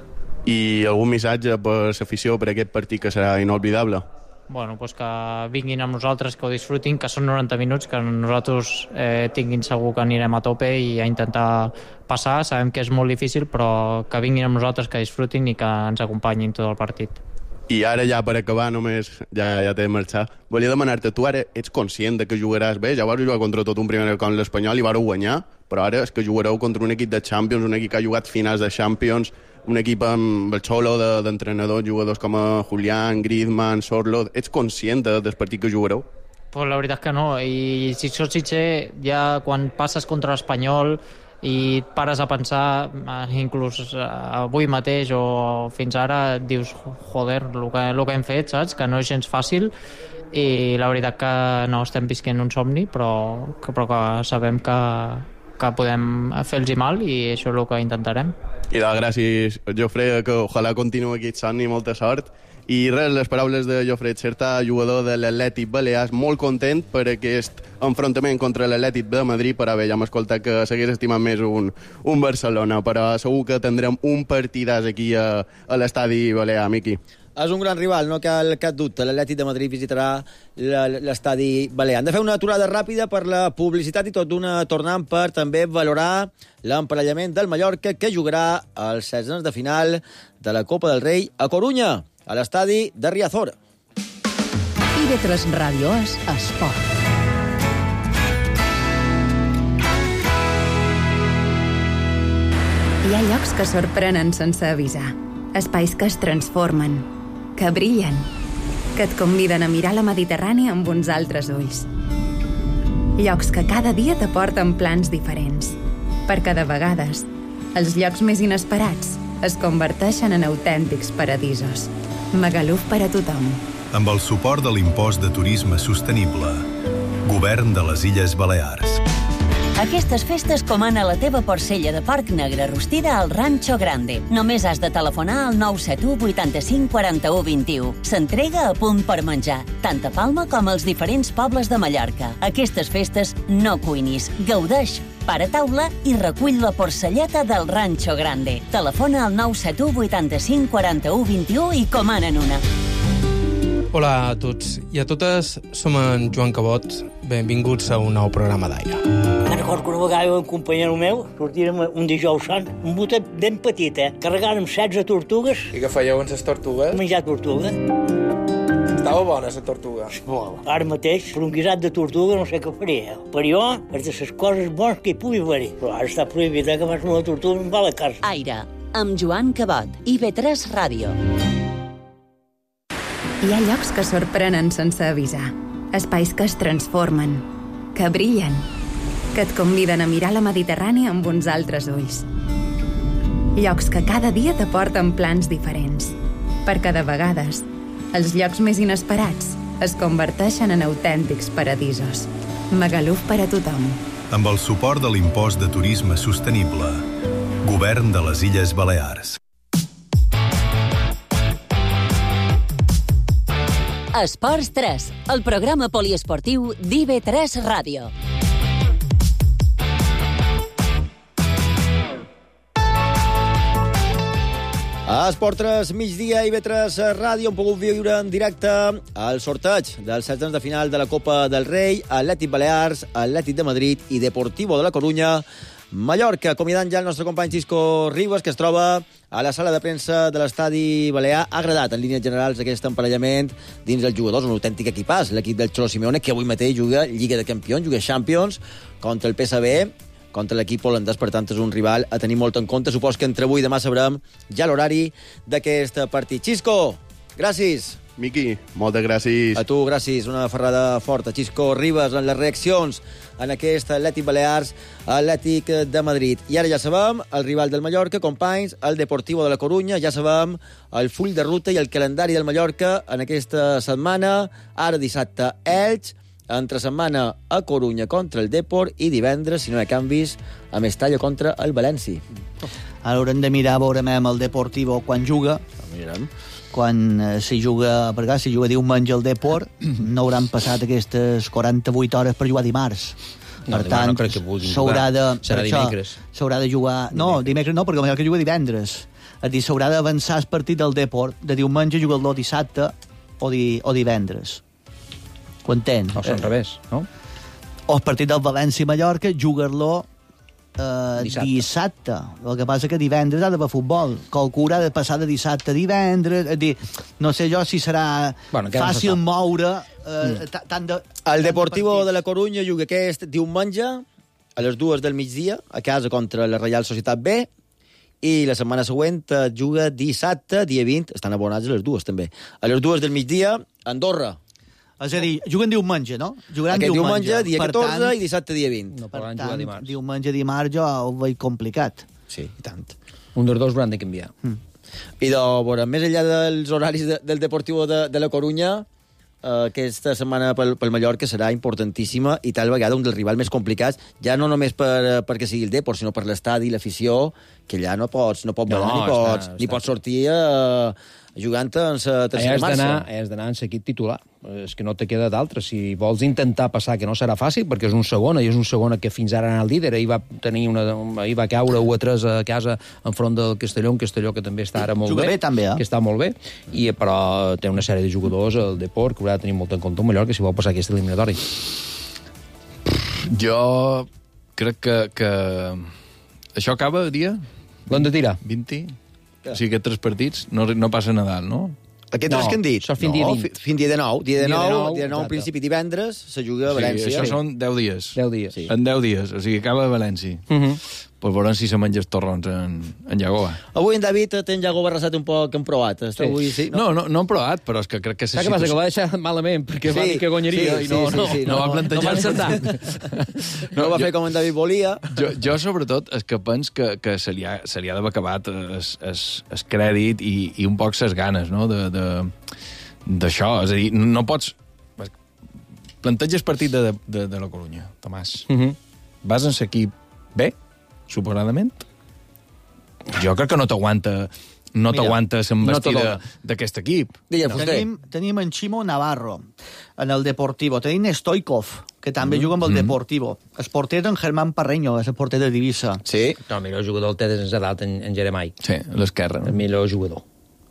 I algun missatge per l'afició per aquest partit que serà inolvidable? Bueno, pues que vinguin amb nosaltres, que ho disfrutin, que són noranta minuts, que nosaltres eh, tinguin segur que anirem a tope i a intentar passar. Sabem que és molt difícil, però que vinguin amb nosaltres, que disfrutin i que ens acompanyin tot el partit. I ara ja per acabar, només ja, ja t'he de marxar, volia demanar-te, tu ara ets conscient de que jugaràs bé? Ja vas jugar contra tot un primer com l'Espanyol i vareu guanyar, però ara és que jugareu contra un equip de Champions, un equip que ha jugat finals de Champions, un equip amb el xolo d'entrenadors, de, jugadors com a Julián, Griezmann, Sorlo. Ets conscient de, del partit que jugareu? Pues la veritat que no, i si sots sincer, ja quan passes contra l'Espanyol i pares a pensar, inclús avui mateix o fins ara, dius, joder, el que, el que hem fet, saps? Que no és gens fàcil, i la veritat que no estem visquent un somni, però que, però que sabem que, que podem fer-los mal i això és el que intentarem. I de gràcies, Jofre, que ojalà continuï aquest somni, molta sort. I res, les paraules de Jofre Xerta, jugador de l'Atlètic Balears, molt content per aquest enfrontament contra l'Atlètic de Madrid, per haver ja m'escoltat que s'hagués estimat més un, un Barcelona, però segur que tindrem un partidàs aquí a, a l'estadi Balear, Miqui. És un gran rival, no cal cap dubte. L'Atlètic de Madrid visitarà l'estadi Balear. Hem de fer una aturada ràpida per la publicitat i tot d'una tornant per també valorar l'emparellament del Mallorca, que jugarà als seizenes de final de la Copa del Rei a Corunya, a l'estadi de Riazor. I ve tres Ràdio és esport. Hi ha llocs que sorprenen sense avisar. Espais que es transformen, que brillen, que et conviden a mirar la Mediterrània amb uns altres ulls. Llocs que cada dia t'aporten plans diferents, perquè de vegades els llocs més inesperats es converteixen en autèntics paradisos. Magaluf per a tothom. Amb el suport de l'impost de turisme sostenible. Govern de les Illes Balears. Aquestes festes comana la teva porcella de porc negre rostida al Rancho Grande. Només has de telefonar al nou set u vuitanta-cinc quaranta-u vint-i-u. S'entrega a punt per menjar, tant a Palma com als diferents pobles de Mallorca. Aquestes festes no cuinis, gaudeix, para taula i recull la porcelleta del Rancho Grande. Telefona al nou set u vuitanta-cinc quaranta-u vint-i-u i comanen una. Hola a tots i a totes, som en Joan Cabot. Benvinguts a un nou programa d'aire. Me'n recordo que una vegada un companyero meu sortírem un dijous sant, un botet ben petit, eh? Carregàrem setze tortugues. I què fèieu amb les tortugues? Menjar tortuga. Estava bona, la tortuga. Molt. Ara mateix, per un guisat de tortuga no sé què faria. Per jo, és de les coses bones que hi pugui haver-hi. Però ara està prohibit, eh, que vas una tortuga i em va a la casa. Aire, amb Joan Cabot, I ve tres Ràdio. Hi ha llocs que sorprenen sense avisar. Espais que es transformen, que brillen, que et conviden a mirar la Mediterrània amb uns altres ulls. Llocs que cada dia t'aporten plans diferents, perquè de vegades els llocs més inesperats es converteixen en autèntics paradisos. Magaluf per a tothom. Amb el suport de l'impost de turisme sostenible. Govern de les Illes Balears. Esports tres, el programa poliesportiu d'I ve tres Ràdio. A Esport tres, migdia, I ve tres Ràdio, hem pogut viure en directe el sorteig dels seizenes de final de la Copa del Rei, Atlètic Balears, Atlètic de Madrid i Deportivo de la Corunya, Mallorca. Convidant ja el nostre company Xisco Ribas, que es troba a la sala de premsa de l'estadi balear. Ha agradat en línies generals aquest emparellament dins els jugadors, un autèntic equipàs, l'equip del Cholo Simeone, que avui mateix juga Lliga de Campions, juga Champions contra el P S V, contra l'equip holandès, per tant és un rival a tenir molt en compte. Supos que entre avui i demà sabrem ja l'horari d'aquest partit. Xisco, gràcies. Miqui, moltes gràcies. A tu, gràcies. Una ferrada forta. Xisco Ribas en les reaccions en aquest Atlètic Balears, Atlètic de Madrid. I ara ja sabem el rival del Mallorca, companys, el Deportivo de la Corunya. Ja sabem el full de ruta i el calendari del Mallorca en aquesta setmana. Ara dissabte, Elx. Entre setmana a Corunya contra el Depor i divendres, si no hi ha canvis, a Mestalla contra el València. Ara haurem de mirar a veure amb el Deportivo quan juga. Mirem. Quan eh, si juga, per cas, si juga diumenge el Depor, no hauran passat aquestes quaranta-vuit hores per jugar dimarts. No, per tant, no s'haurà de... Serà dimecres. S'haurà de jugar... No, dimecres no, perquè el Mallorca juga divendres. És a dir, s'haurà d'avançar el partit del Depor de diumenge, jugar-lo dissabte o, di, o divendres. Ho entén? O són revés, no? O el partit del València-Mallorca, jugar-lo eh, dissabte. dissabte. El que passa que divendres ha d'haver futbol. Qualcú ha de passar de dissabte a divendres. És dir, no sé jo si serà bueno, fàcil no moure eh, mm. tant de... El Deportivo de, de la Corunya juga aquest diumenge a les dues del migdia a casa contra la Reial Societat B i la setmana següent juga dissabte, dia vint, estan abonats a les dues també, a les dues del migdia, Andorra. És a dir, juguen diumenge, no? Jugaran Aquest diumenge, diumenge, dia catorze, tant, i dissabte, dia vint. No per tant, tant, diumenge, dimarts, jo ho veig complicat. Sí, i tant. Un dels dos hauran de canviar. Mm. I de, bueno, més enllà dels horaris de, del Deportivo de, de la Corunya, eh, aquesta setmana pel, pel Mallorca serà importantíssima i tal vegada un dels rivals més complicats, ja no només per, perquè sigui el Depor, sinó per l'estadi i l'afició, que allà no pots, no pots, no, ni, pots està, ni està. pots sortir eh, jugant en la tercera marxa. Has d'anar en l'equip titular. És que no te queda d'altre. Si vols intentar passar, que no serà fàcil, perquè és un segona, i és un segona que fins ara era el líder, ahir va, tenir una, ahir va caure u a tres a casa enfront del Castelló, un Castelló que també està ara molt Juga bé. bé també, eh? Que està molt bé, i, però té una sèrie de jugadors, el Depor, que haurà de tenir molt en compte el Mallorca si vol passar aquest eliminatori. Jo crec que, que... això acaba el dia? L'han de tirar. vint? O sigui, aquests tres partits no, no passa Nadal, no? Aquests no, tres que han dit? Fins dia vint. Fins dia de nou. Dia de nou, dia de nou en principi divendres, se juga a València. Sí, això són deu dies. deu dies. Sí. En deu dies, o sigui, acaba a València. Uh -huh. Pues veurem si se menja els torrons en, en Llagoa. Avui en David té en Llagoa barrejat un poc en provat. Sí. Avui, sí, no? No, no, no han provat, però és que crec que... Saps què passa? Que va deixar malament, perquè sí, va dir que guanyaria, sí, i no, sí, sí, sí, no, no, no va plantejar... No va, no no va fer com en David volia. Jo, jo sobretot, és que pens que, que se, li ha, se li ha d'haver acabat es, es, es crèdit i, i un poc ses ganes, no?, de... de d'això, és a dir, no pots... Planteges partit de, de, de la Corunya, Tomàs. Uh -huh. Vas en l'equip B, suposadament? Jo crec que no t'aguanta no t'aguanta l'envestida no d'aquest equip. No. Tenim, tenim en Ximo Navarro, en el Deportivo. Tenim Stoikov, que també mm. juga amb el mm. Deportivo. El porter en Germán Parreño, és el porter de Divisa. Sí. No, el millor jugador el té des d'edat en, en Jeremai. Sí, l'esquerra. El millor jugador.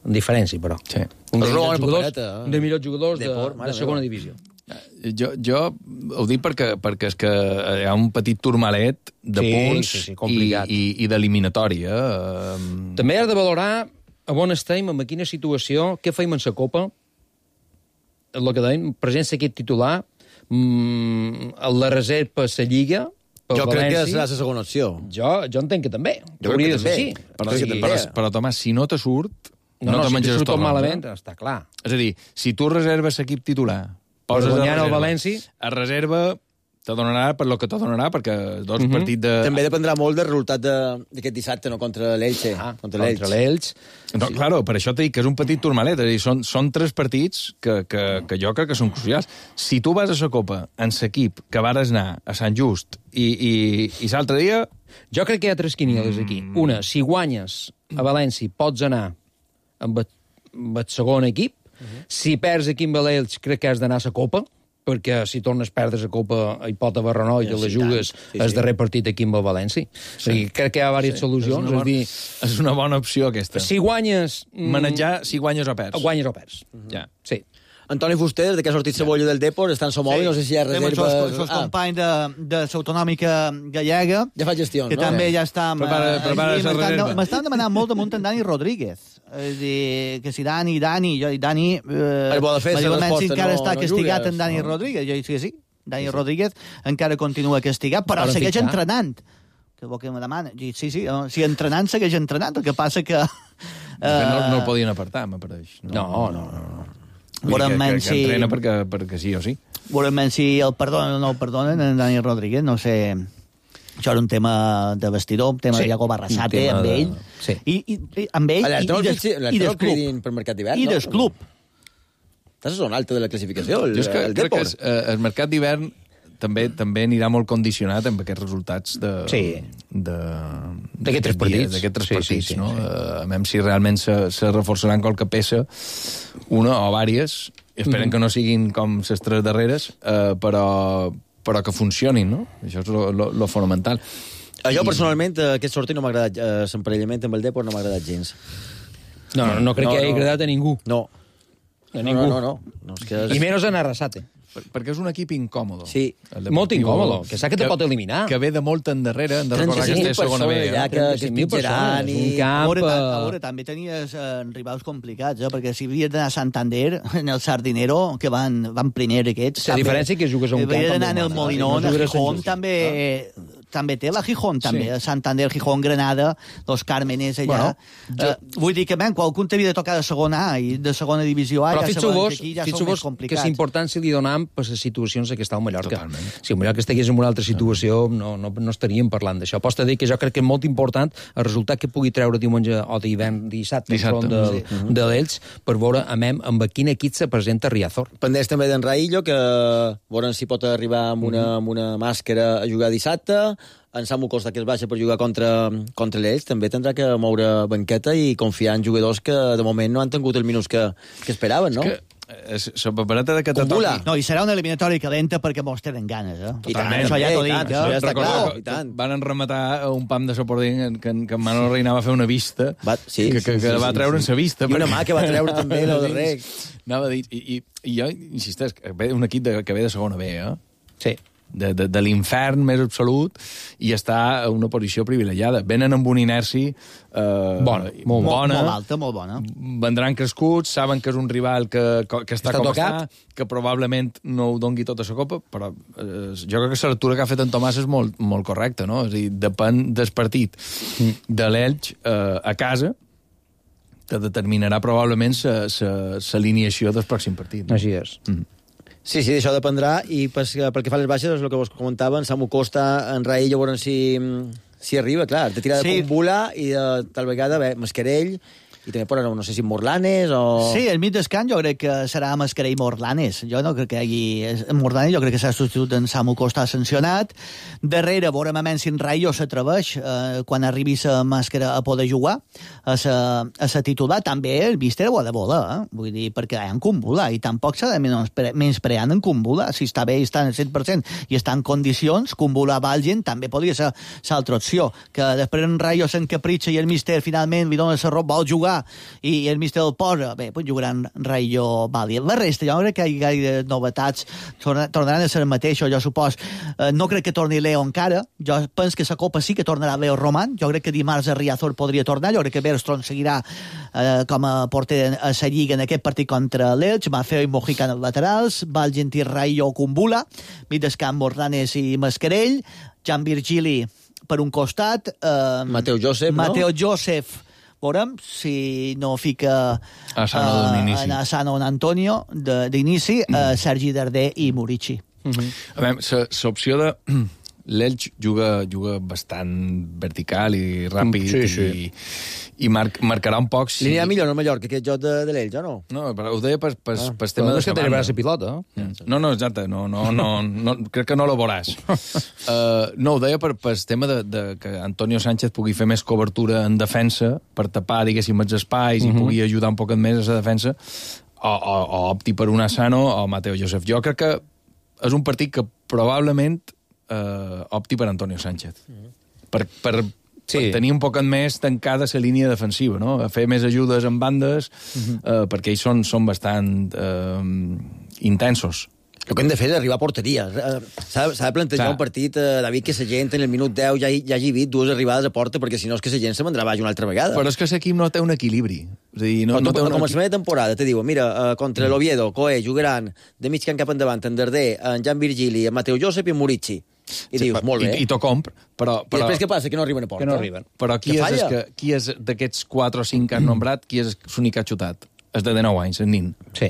En diferència, però. Sí. Un dels millors jugadors, un dels millors jugadors de, de, de segona divisió. Jo, jo ho dic perquè, perquè és que hi ha un petit turmalet de sí, punts sí, sí, complicat. i, i, i d'eliminatòria. Eh? També has de valorar a on estem, en quina situació, què feim en la Copa, el que deim, presència aquest titular, mmm, la reserva per la Lliga, jo València. Crec que serà la segona opció. Jo, jo entenc que també. Jo crec que també. Sí. Però, sí, però, però, Tomàs, si no te surt, no, no, no te si menges els tornons. Malament, eh? Està clar. És a dir, si tu reserves l'equip titular, poses a reserva, el València, a reserva te donarà per lo que te donarà, perquè dos uh -huh. partits de... També dependrà molt del resultat d'aquest dissabte, no? Contra l'Elche. Ah, contra l'Elche. No, sí. Claro, per això t'he dit que és un petit turmalet. És a dir, són, són tres partits que, que, que jo crec que són crucials. Si tu vas a la Copa en l'equip que vares anar a Sant Just i, i, i l'altre dia... Jo crec que hi ha tres quinieles aquí. Mm. Una, si guanyes a València, pots anar amb el, amb el segon equip. Uh -huh. Si perds aquí amb l'Elx, crec que has d'anar a la Copa, perquè si tornes a perdre la Copa hi pot haver renou i te la jugues sí, el sí. darrer partit aquí amb el València. Sí. O sigui, crec que hi ha diverses sí. solucions. És una, bona, és, dir, és una bona opció, aquesta. Si guanyes... Manejar si guanyes o perds. Guanyes o perds. Uh -huh. Ja. Sí. Antoni Fuster, de que ha sortit Cebolla del Depor, està en Somòbil, sí. no sé si hi ha reserva... Els seus ah. companys de, de l'autonòmica gallega... Ja fa gestió, que no? Que també ja està... Prepara, prepara la reserva. M'estan demanant molt damunt en Dani Rodríguez. És dir, que si Dani, Dani... Jo, Dani... Eh, el bo de fer, si encara no, està no castigat jugues, en Dani no? Rodríguez. Jo dic que sí. Dani sí, sí. Rodríguez encara continua castigat, però, però segueix fitxar. entrenant. Que vol que me demana? Sí, sí, si entrenant segueix entrenant, el que passa que... Uh... No, no el podien apartar, m'apareix. No, no, no. no. Veurem que, que, si... que entrena perquè, perquè sí o sí. Veurem si el perdonen o no el perdonen en Dani Rodríguez, no sé... Això era un tema de vestidor, un tema sí, de Iago Barrasate, amb de... ell. Sí. I, i, i, amb ell i, i, des, i del club. Per mercat d'hivern, I no? del club. Estàs a zona alta de la classificació, el, jo és que el crec que Depor. es, eh, el mercat d'hivern també també anirà molt condicionat amb aquests resultats de... Sí. de d'aquests tres partits. D'aquests tres sí, partits, sí, sí, no? Sí. Uh, a veure si realment se, se reforçaran qualque peça, una o vàries, esperen mm-hmm. que no siguin com les tres darreres, uh, però, però que funcionin, no? Això és lo, lo, lo fonamental. A jo, personalment, aquest sortir no m'ha agradat, eh, l'emparellament amb el Depor no m'ha agradat gens. No, no, no crec no, que hagi no. agradat a ningú. No. A ningú. No, no, no. no és que és... I menys en Arrasate. Per, perquè és un equip incòmodo. Sí. Molt incòmodo, que sap que te pot eliminar. Que ve de molt endarrere, hem de recordar que està a segona B. Ja, que, que es pitjaran i... A veure, a veure, també tenies eh, rivals complicats, eh? Perquè si havies d'anar a Santander, en el Sardinero, que van, van primer aquests... La diferència que jugues a un camp... Havia d'anar en el Molinón, no el Gijón també... Ah. També té la Gijón, també. Sí. Santander, Gijón, Granada, Los Cármenes, allà. Bueno, jo... uh, vull dir que, ben, qualcun t'havia de tocar de segona A i de segona divisió A, però ja sabem que aquí ja són més complicats. Que és important si li donam per les situacions que està al Mallorca. Totalment. Si el Mallorca estigués en una altra situació, no, no, no estaríem parlant d'això. Pots dir que jo crec que és molt important el resultat que pugui treure diumenge o d'hivern dissabte, dissabte de, sí. uh -huh. de l'Elx, per veure amb, amb quin equip se presenta Riazor. Pendents també d'en Raillo, que veurem si pot arribar amb una, uh -huh. amb una màscara a jugar dissabte. En Samu Costa, que es baixa per jugar contra, contra l'Elx, també tindrà que moure banqueta i confiar en jugadors que de moment no han tingut els minuts que, que esperaven, no? És que la papereta de que te toqui... No, i serà una eliminatòria calenta perquè mos tenen ganes, eh? I tant, això ja t'ho dic. Tant, això ja està clar. I tant. Van rematar un pam de sopording que, que en Manolo Reina va fer una vista, va, sí, que, que, sí, que sí, va treure en sí. sa vista. I una mà que va treure també el darrer. Anava a dir, i, i, i jo insisteix, que ve un equip de, que ve de segona B, eh? Sí. De, de, de l'infern més absolut i està a una posició privilegiada. Venen amb una inèrcia eh, bona, molt bona. Molt alta, molt bona. Vendran crescuts, saben que és un rival que, que està, està com tocat. Està, que probablement no ho dongui tota la copa, però eh, jo crec que la lectura que ha fet en Tomàs és molt, molt correcta, no? És a dir, depèn del partit mm. de l'Elx eh, a casa, que determinarà probablement l'alineació del pròxim partit. No? Així és. Mm. Sí, sí, això dependrà, i pel que fa a les baixes, és el que vos comentaven, Samu Costa, en Raïl, ja veurem si, si arriba, clar, te tira de sí. Cumbula i de, tal vegada, bé, Mascarell, i també poden, no sé si Morlanes o... Sí, el mig d'escant jo crec que serà Mascarell i Morlanes. Jo no crec que hi hagi... Morlanes jo crec que s'ha substitut en Samu Costa sancionat. Darrere, veurem a menys si en Rayo s'atreveix eh, quan arribi la màscara a poder jugar a sa, a sa titular. També el míster ho ha de voler, eh? Vull dir, perquè hi ha en Cumbula i tampoc s'ha de menysprear en Cumbula. Si està bé i està en el cent per cent i està en condicions, Cumbula Valgen també podria ser l'altra opció. Que després en Rayo s'encapritxa i el míster finalment li dona la roba, vol jugar i el míster el posa, bé, pues jugaran Rayo Valli. La resta, jo no crec que hi hagi gaire novetats, tornaran a ser el mateix, jo supos. Eh, no crec que torni Leo encara, jo penso que la Copa sí que tornarà Leo Roman, jo crec que dimarts a Riazor podria tornar, jo crec que Bergstrom seguirà eh, com a porter a la Lliga en aquest partit contra l'Elx, Mafeo i Mojica en els laterals, Valgentí, Rayo, Cumbula, Midescamp, Morlanes i Mascarell, Jan Virgili per un costat, eh, Mateo Joseph, Mateo no? Joseph, veurem si no fica a Sano uh, en Asano en Antonio d'inici, mm. uh, Sergi Darder i Murici. Mm-hmm. A veure, l'opció de l'Elx juga, juga bastant vertical i ràpid sí, sí. i, i mar, marcarà un poc... Si... Li anirà millor no Mallorca que aquest joc de, de l'Elx, o no? No, però ho deia per, per, ah, per tema de la banda. No és que pilota, eh? No, no, exacte, no, no, no, no, crec que no lo veuràs. Uh, no, ho deia per, per tema de, de que Antonio Sánchez pugui fer més cobertura en defensa per tapar, diguéssim, els espais uh -huh. i pugui ajudar un poc més a la defensa, o, o, o opti per un Asano o Mateo Joseph. Jo crec que és un partit que probablement Uh, opti per Antonio Sánchez. Mm. Per, per, sí. per tenir un poc més tancada la línia defensiva, no? A fer més ajudes en bandes, mm-hmm. uh, perquè ells són, són bastant uh, intensos. El que hem de fer és arribar a porteria. S'ha de plantejar Clar. un partit, eh, David, que la gent en el minut deu ja, ja hagi vist dues arribades a porta, perquè si no és que la gent se vendrà baix una altra vegada. Però és que l'equip no té un equilibri. És a dir, no, no té un a començament de temporada te diuen, mira, eh, contra mm. l'Oviedo, Coe, jugaran de mig camp cap endavant, en Darder, en Jan Virgili, en Mateo Josep i en Murici. I sí, dius, molt bé. I, i t'ho compr, però, però... I després què passa? Que no arriben a porta. Que no arriben. Però qui que és, que, qui és d'aquests quatre o cinc que has nombrat, qui és l'únic que ha xutat? És de dinou anys, el nin. Sí.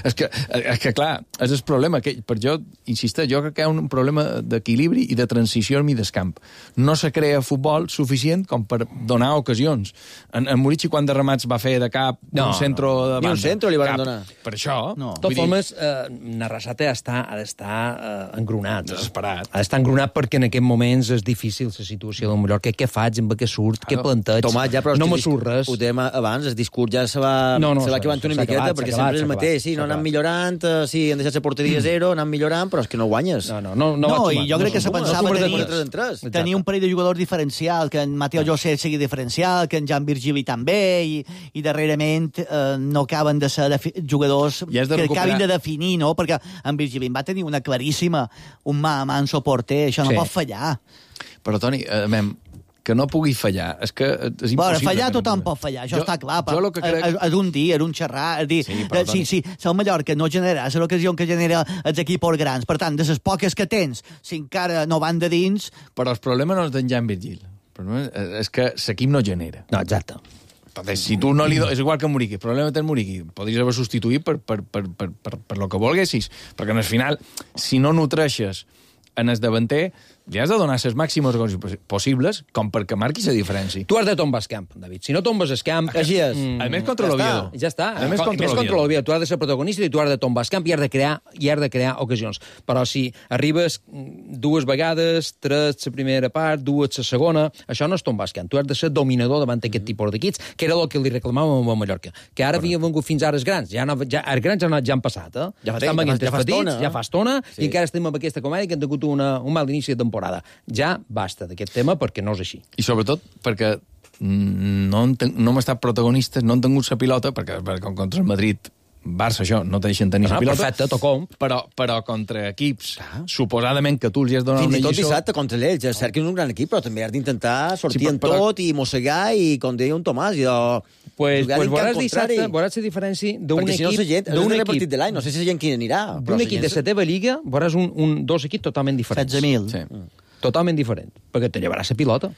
És que, és que, clar, és el problema. Que, per jo, insisteix, jo crec que hi ha un problema d'equilibri i de transició al mig del camp. No se crea futbol suficient com per donar ocasions. En, en Murici, quan de remats va fer de cap no, un centro no. de banda? Ni un centro li van cap. donar. Per això... No. De totes formes, eh, Narrasate ha d'estar eh, engronat. Desesperat. Ha d'estar engronat perquè en aquests moments és difícil la situació del Mallorca. Què faig, amb què surt, què planteig? Tomàs, ja, però no me surt res. Ho dèiem abans, el discurs ja se va, no, no, se va acabant una miqueta, acabat, perquè sempre és el mateix. Sí, no anem millorant, uh, sí, han deixat la porteria a zero, anem millorant, però és que no guanyes. No, no, no, no, no i jo no, crec que se pensava no, tenir, tenir, tenir un parell de jugadors diferencial, que en Mateo José sigui diferencial, que en Jan Virgili també, i, i darrerament eh, no acaben de ser de jugadors ja de que recuperar. Acabin de definir, no? Perquè en Virgili va tenir una claríssima, un mà a mà en soporter, això no sí. pot fallar. Però, Toni, eh, mem, que no pugui fallar, és que és impossible. Bueno, fallar tothom pot fallar, això jo, està clar. Jo lo que crec... És, és un dir, és un xerrar, és dir, sí, però, si, si, si el Mallorca no genera l'ocasió que genera els equips grans, per tant, de les poques que tens, si encara no van de dins... Però el problema no és d'en Jan Virgil, el problema és que l'equip no genera. No, exacte. Entonces, si tu no li do... És igual que Muriqui, el problema té el Muriqui. Podries haver substituït per, per, per, per, per, per lo que volguessis, perquè al final, si no nutreixes en el davanter, li has de donar les màximes possibles com perquè marquis la diferència. Tu has de tombar el camp, David. Si no tombes el camp... Així és. Mm, a més contra ja l'Oviedo. Ja està. A més contra l'Oviedo. Tu has de ser protagonista i tu has de tombar el camp i has de crear, i has de crear ocasions. Però si arribes dues vegades, tres la primera part, dues la segona, això no és tombar el camp. Tu has de ser dominador davant d'aquest tipus d'equips, que era el que li reclamàvem a Mallorca. Que ara havia vengut fins ara els grans. Ja, no, ja, els grans ja, no, ja han passat, eh? Ja fa, Estan ja, ja fa estona. Ja fa estona, sí. I encara estem amb aquesta comèdia que han tingut una, un mal inici de temporada. Ja basta d'aquest tema perquè no és així. I sobretot perquè no, no hem estat protagonistes, no han tingut la pilota, perquè, perquè contra el Madrid, Barça, això, no te deixen tenir la ah, pilota. Perfecte, tocom. Però, però contra equips, ah. suposadament que tu els has donat una lliçó... Fins i tot dissabte contra l'Elx, és cert que és un gran equip, però també has d'intentar sortir sí, en però... tot i mossegar, i com deia un Tomàs, i de... Pues, pues veuràs dissabte, veuràs la diferència d'un equip... Perquè si no la gent, és el repartit de l'any, no sé si la gent qui anirà. D'un equip de la teva lliga, veuràs un, un, dos equips totalment diferents. setze mil. Sí. Totalment diferent, perquè te llevaràs la pilota.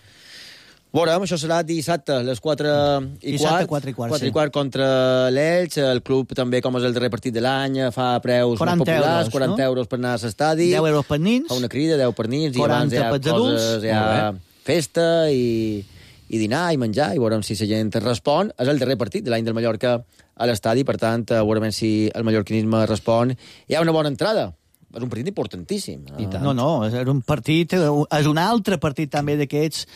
Veurem, això serà dissabte, a les quatre i quart. quatre i quart, quatre sí. i quart contra l'Elx. El club també, com és el darrer partit de l'any, fa preus molt populars, euros, quaranta no? euros per anar a l'estadi. deu euros per nins. Fa una crida, deu per nins, i abans hi ha coses, hi ha festa i, i dinar i menjar, i veurem si la gent respon. És el darrer partit de l'any del Mallorca a l'estadi, per tant, veurem si el mallorquinisme respon. Hi ha una bona entrada. És un partit importantíssim. No, no, és un partit, és un altre partit també d'aquests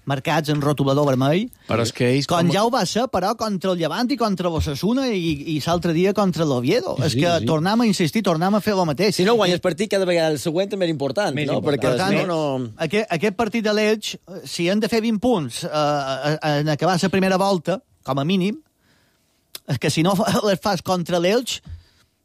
marcats en rotulador vermell. Però és que ells... Com, com ja ho va ser, però, contra el Llevant i contra l'Osasuna i, i l'altre dia contra l'Oviedo. Sí, és que sí. tornem a insistir, tornem a fer el mateix. Si no guanyes partit, cada vegada el següent també és important. Més no? important. Perquè, per tant, no, no... Aquest, aquest partit de l'Elx, si han de fer vint punts eh, en acabar la primera volta, com a mínim, és que si no les fas contra l'Elx,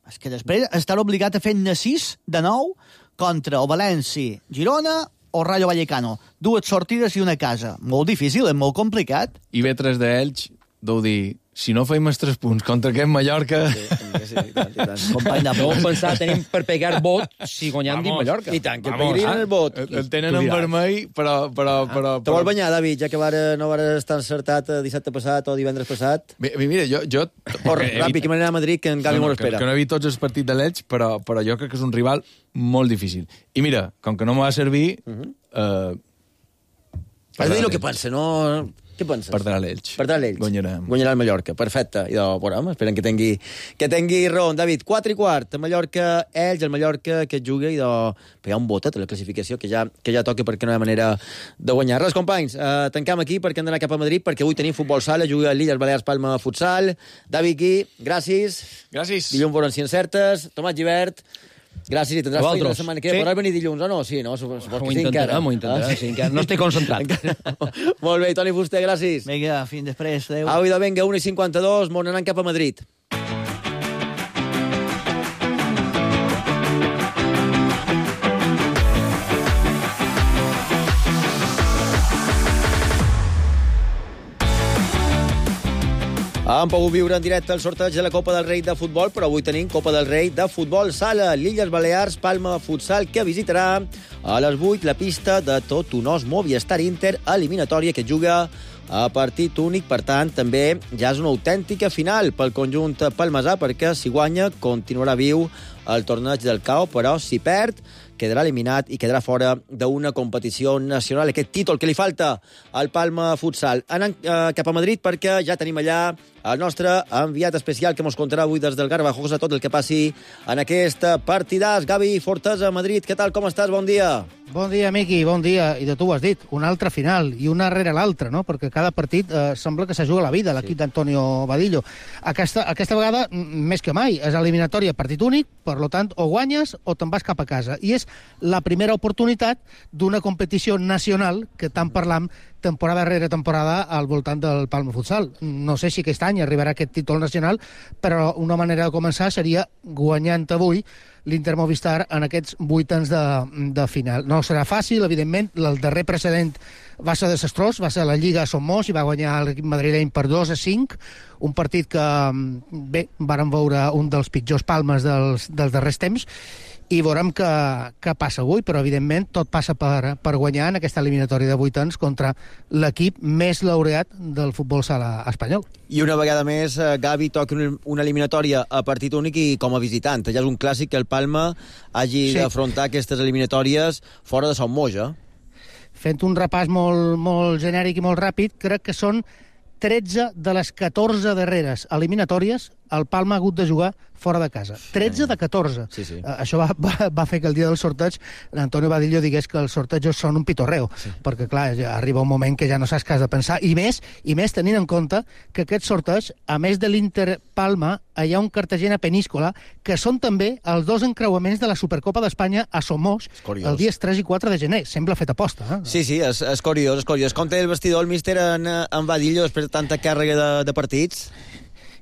és que després estar obligat a fer-ne sis de nou contra o València, Girona o Rayo Vallecano. Dues sortides i una casa. Molt difícil, és molt complicat. I ve tres d'ells, deu dir, si no feim els tres punts contra aquest Mallorca... Sí, sí, i tant, i tant. Company de Deu pensar, tenim per pegar vot si guanyam dins Mallorca. I tant, que pegarien el vot. El tenen en vermell, però... però, però, Te vol banyar, David, ja que vare, no vas estar encertat dissabte passat o divendres passat? Mira, jo... jo Corre, ràpid, que m'anirà a Madrid, que en Gavi m'ho espera. Que no he vist tots els partits de l'Elx, però, però jo crec que és un rival molt difícil. I mira, com que no m'ha de servir... Uh -huh. eh, Has de dir el que pensa, no... Què penses? Perdrà l'Elx. Perdrà l'Elx. Guanyarem. Guanyarà el Mallorca. Perfecte. I de, veurem, esperem que tingui, que tingui raó. David, quatre i quart. El Mallorca, Elx, el Mallorca que juga i de... Però hi ha un botet a la classificació que ja, que ja toca perquè no hi ha manera de guanyar. Res, companys, eh, tancam aquí perquè hem d'anar cap a Madrid perquè avui tenim futbol sala, juga l'Illes Balears Palma Futsal. David Gui, gràcies. Gràcies. Dilluns veurem si encertes. Tomàs Gibert, gràcies i tindràs feina la setmana que ve. Sí. Podràs venir dilluns o no? Sí, no? Supos que ho sí, encara. M'ho intentarem, sí, encara. No estic concentrat. Molt bé, Toni Fuster, gràcies. Vinga, fins després. Adéu. Au, idò, vinga, una i cinquanta-dos, m'on anant cap a Madrid. Han pogut viure en directe el sorteig de la Copa del Rei de futbol, però avui tenim Copa del Rei de futbol sala. L'Illes Balears, Palma Futsal, que visitarà a les vuit la pista de tot un os Movistar Inter, eliminatòria que juga a partit únic. Per tant, també ja és una autèntica final pel conjunt palmesà, perquè si guanya continuarà viu el torneig del C A O, però si perd quedarà eliminat i quedarà fora d'una competició nacional. Aquest títol que li falta al Palma Futsal. Anant eh, cap a Madrid, perquè ja tenim allà el nostre enviat especial que ens contarà avui des del Garbajosa tot el que passi en aquest partidàs. Gavi Fortesa, Madrid, què tal, com estàs? Bon dia. Bon dia, Miqui, bon dia. I de tu ho has dit, una altra final, i una rere l'altra, no? Perquè cada partit eh, sembla que se juga la vida, l'equip sí. d'Antonio Vadillo. Aquesta, aquesta vegada, més que mai, és eliminatòria partit únic, per lo tant, o guanyes o te'n vas cap a casa. I és la primera oportunitat d'una competició nacional que tant parlam temporada rere temporada al voltant del Palma Futsal. No sé si aquest any arribarà aquest títol nacional, però una manera de començar seria guanyant avui l'Inter Movistar en aquests vuitens de, de final. No serà fàcil, evidentment. El darrer precedent va ser desastrós, va ser la Lliga a Somos i va guanyar l'equip madrileny per dos a cinc, un partit que, bé, vàrem veure un dels pitjors Palmes dels, dels darrers temps, i veurem què, què passa avui, però evidentment tot passa per, per guanyar en aquesta eliminatòria de vuitens contra l'equip més laureat del futbol sala espanyol. I una vegada més, Gavi toca una eliminatòria a partit únic i com a visitant. Ja és un clàssic que el Palma hagi sí. d'afrontar aquestes eliminatòries fora de Son Moix, eh? Fent un repàs molt, molt genèric i molt ràpid, crec que són tretze de les catorze darreres eliminatòries el Palma ha hagut de jugar fora de casa. tretze de catorze. Sí, sí. Uh, això va, va, va fer que el dia del sorteig l'Antonio Vadillo digués que els sortejos són un pitorreo, sí. perquè, clar, ja arriba un moment que ja no saps què has de pensar, i més, i més tenint en compte que aquest sorteig, a més de l'Inter Palma, hi ha un Cartagena Peníscola, que són també els dos encreuaments de la Supercopa d'Espanya a Somos, els dies tres i quatre de gener. Sembla fet aposta, eh? Sí, sí, és, és curiós, és curiós. Com té el vestidor el míster en, en Vadillo després de tanta càrrega de, de partits?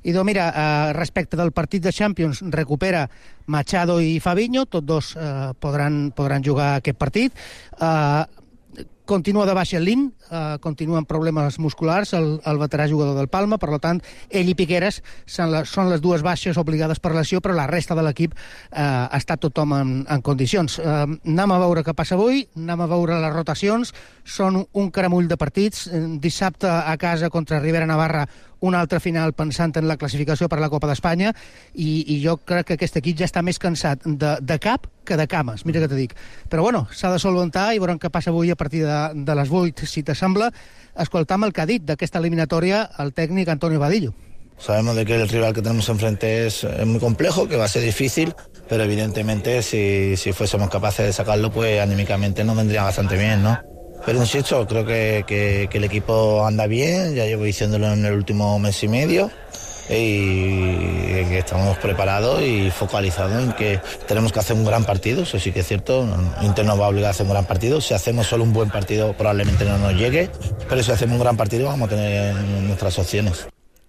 I doncs mira, eh, respecte del partit de Champions, recupera Machado i Fabinho, tots dos eh, podran, podran jugar aquest partit. Eh, continua de baixa Lin, eh, continua amb problemes musculars, el, el veterà jugador del Palma, per tant, ell i Piqueras són, la, són les dues baixes obligades per lesió, però la resta de l'equip eh, està tothom en, en condicions. Eh, anem a veure què passa avui, anem a veure les rotacions, són un caramull de partits. Dissabte a casa contra Rivera Navarra, una altra final pensant en la classificació per a la Copa d'Espanya, i, i jo crec que aquest equip ja està més cansat de, de cap que de cames, mira què te dic. Però bueno, s'ha de solventar i veurem què passa avui a partir de, de les vuit, si t'assembla, escoltam el que ha dit d'aquesta eliminatòria el tècnic Antonio Vadillo. Sabemos de que el rival que tenemos enfrente es, es muy complejo, que va a ser difícil, pero evidentemente si, si fuésemos capaces de sacarlo, pues anímicamente nos vendría bastante bien, ¿no? Pero insisto, creo que, que, que el equipo anda bien, ya llevo diciéndolo en el último mes y medio, y que estamos preparados y focalizados en que tenemos que hacer un gran partido. Eso sí que es cierto, Inter nos va a obligar a hacer un gran partido. Si hacemos solo un buen partido probablemente no nos llegue, pero si hacemos un gran partido vamos a tener nuestras opciones.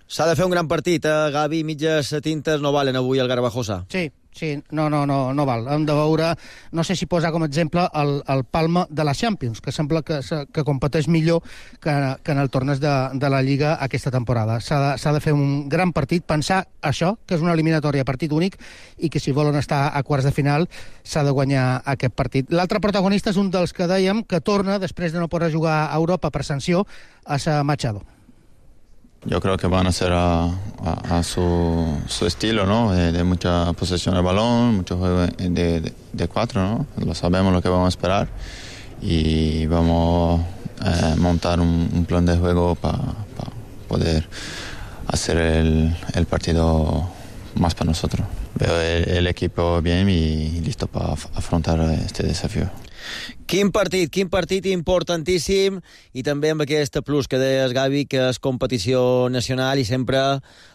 S'ha de fer un gran partit, eh? Gavi, mitges tintes no valen avui al Garbajosa. Sí, sí, no, no, no, no val. Hem de veure, no sé si posar com a exemple el, el Palma de la Champions, que sembla que, que competeix millor que, que en el torneig de, de la Lliga aquesta temporada. S'ha de, s'ha de fer un gran partit, pensar això, que és una eliminatòria a partit únic, i que si volen estar a quarts de final s'ha de guanyar aquest partit. L'altre protagonista és un dels que dèiem que torna, després de no poder jugar a Europa per sanció, a ser Machado. Yo creo que van a ser a, a, a su, su estilo, ¿no? De, de mucha posesión del balón, mucho juego de, de, de cuatro, ¿no? Lo sabemos lo que vamos a esperar y vamos a eh, montar un, un plan de juego para pa poder hacer el, el partido más para nosotros. Veo el, el equipo bien y listo para afrontar este desafío. Quin partit, quin partit importantíssim, i també amb aquest plus que deies, Gavi, que és competició nacional i sempre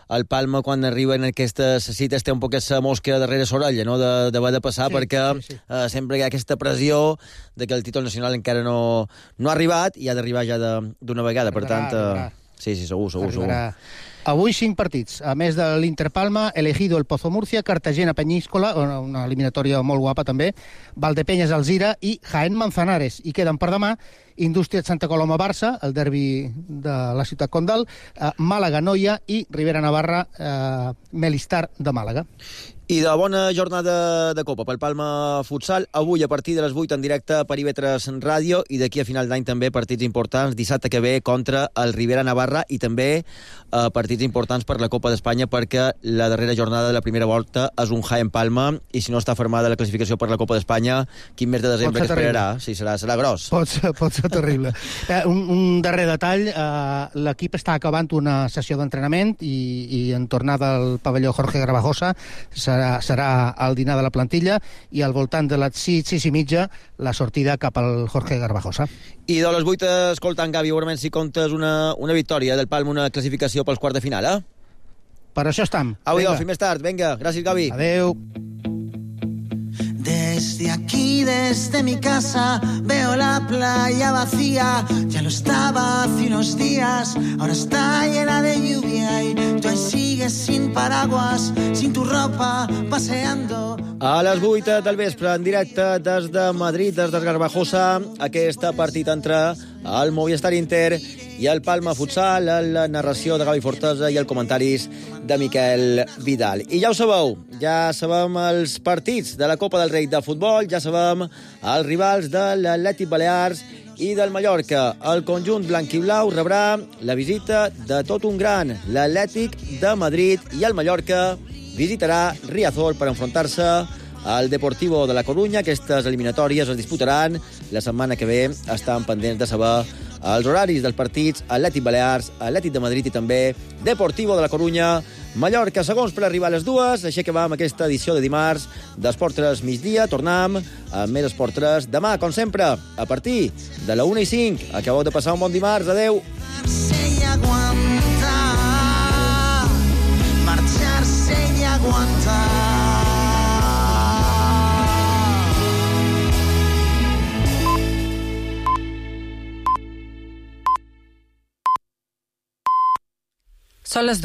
el Palma, quan arriba en aquestes cites, té un poc aquesta mosca darrere l'orella, no?, d'haver de, de passar, sí, perquè sí, sí. Eh, sempre hi ha aquesta pressió de que el títol nacional encara no, no ha arribat i ha d'arribar ja d'una vegada. Per tant, eh, Sí, sí, segur, segur, Arribarà. segur. Avui cinc partits. A més de l'Inter Palma, Elegido, el Pozo Múrcia, Cartagena Peñíscola, una eliminatòria molt guapa també, Valdepeñas Alzira i Jaén Manzanares. I queden per demà Indústria Santa Coloma Barça, el derbi de la ciutat condal, eh, Màlaga Noia i Ribera Navarra eh, Melistar de Màlaga. I de bona jornada de Copa pel Palma Futsal. Avui a partir de les vuit en directe per I V tres Ràdio i d'aquí a final d'any també partits importants. Dissabte que ve contra el Ribera Navarra i també eh, partits importants per la Copa d'Espanya perquè la darrera jornada de la primera volta és un Jaén Palma i si no està formada la classificació per la Copa d'Espanya, quin mes de desembre que esperarà? Sí, serà, serà gros. Pot ser, pot ser terrible. eh, un, un darrer detall, eh, l'equip està acabant una sessió d'entrenament i, i en tornada al pavelló Jorge Garbajosa serà, serà el dinar de la plantilla i al voltant de les sis, sis i mitja la sortida cap al Jorge Garbajosa. I de les vuit, escoltant, Gavi, segurament si comptes una, una victòria del Palma, una classificació pels quarts de final, eh? Per això estem. Au, idò, fins més tard. Vinga, gràcies, Gavi. Adeu. Desde aquí, desde mi casa, veo la playa vacía. Ya lo estaba hace unos días, ahora está llena de lluvia y tú ahí sigues sin paraguas, sin tu ropa, paseando. A les vuit del vespre, en directe des de Madrid, des de Garbajosa, aquest partit entre el Movistar Inter i el Palma Futsal, la narració de Gavi Fortesa i els comentaris de Miquel Vidal. I ja ho sabeu, ja sabem els partits de la Copa del Rei de futbol, ja sabem els rivals de l'Atlètic Balears i del Mallorca. El conjunt blanc-i-blau rebrà la visita de tot un gran, l'Atlètic de Madrid, i el Mallorca visitarà Riazor per enfrontar-se al Deportivo de la Corunya. Aquestes eliminatòries es disputaran la setmana que ve. Estan pendents de saber els horaris dels partits Atlètic Balears, Atlètic de Madrid i també Deportivo de la Corunya. Mallorca, segons per arribar a les dues. Així que va amb aquesta edició de dimarts d'Esport tres migdia. Tornem amb més Esport tres demà, com sempre, a partir de la una i cinc. Acabeu de passar un bon dimarts. Adeu. Marcharse y aguantar. Son las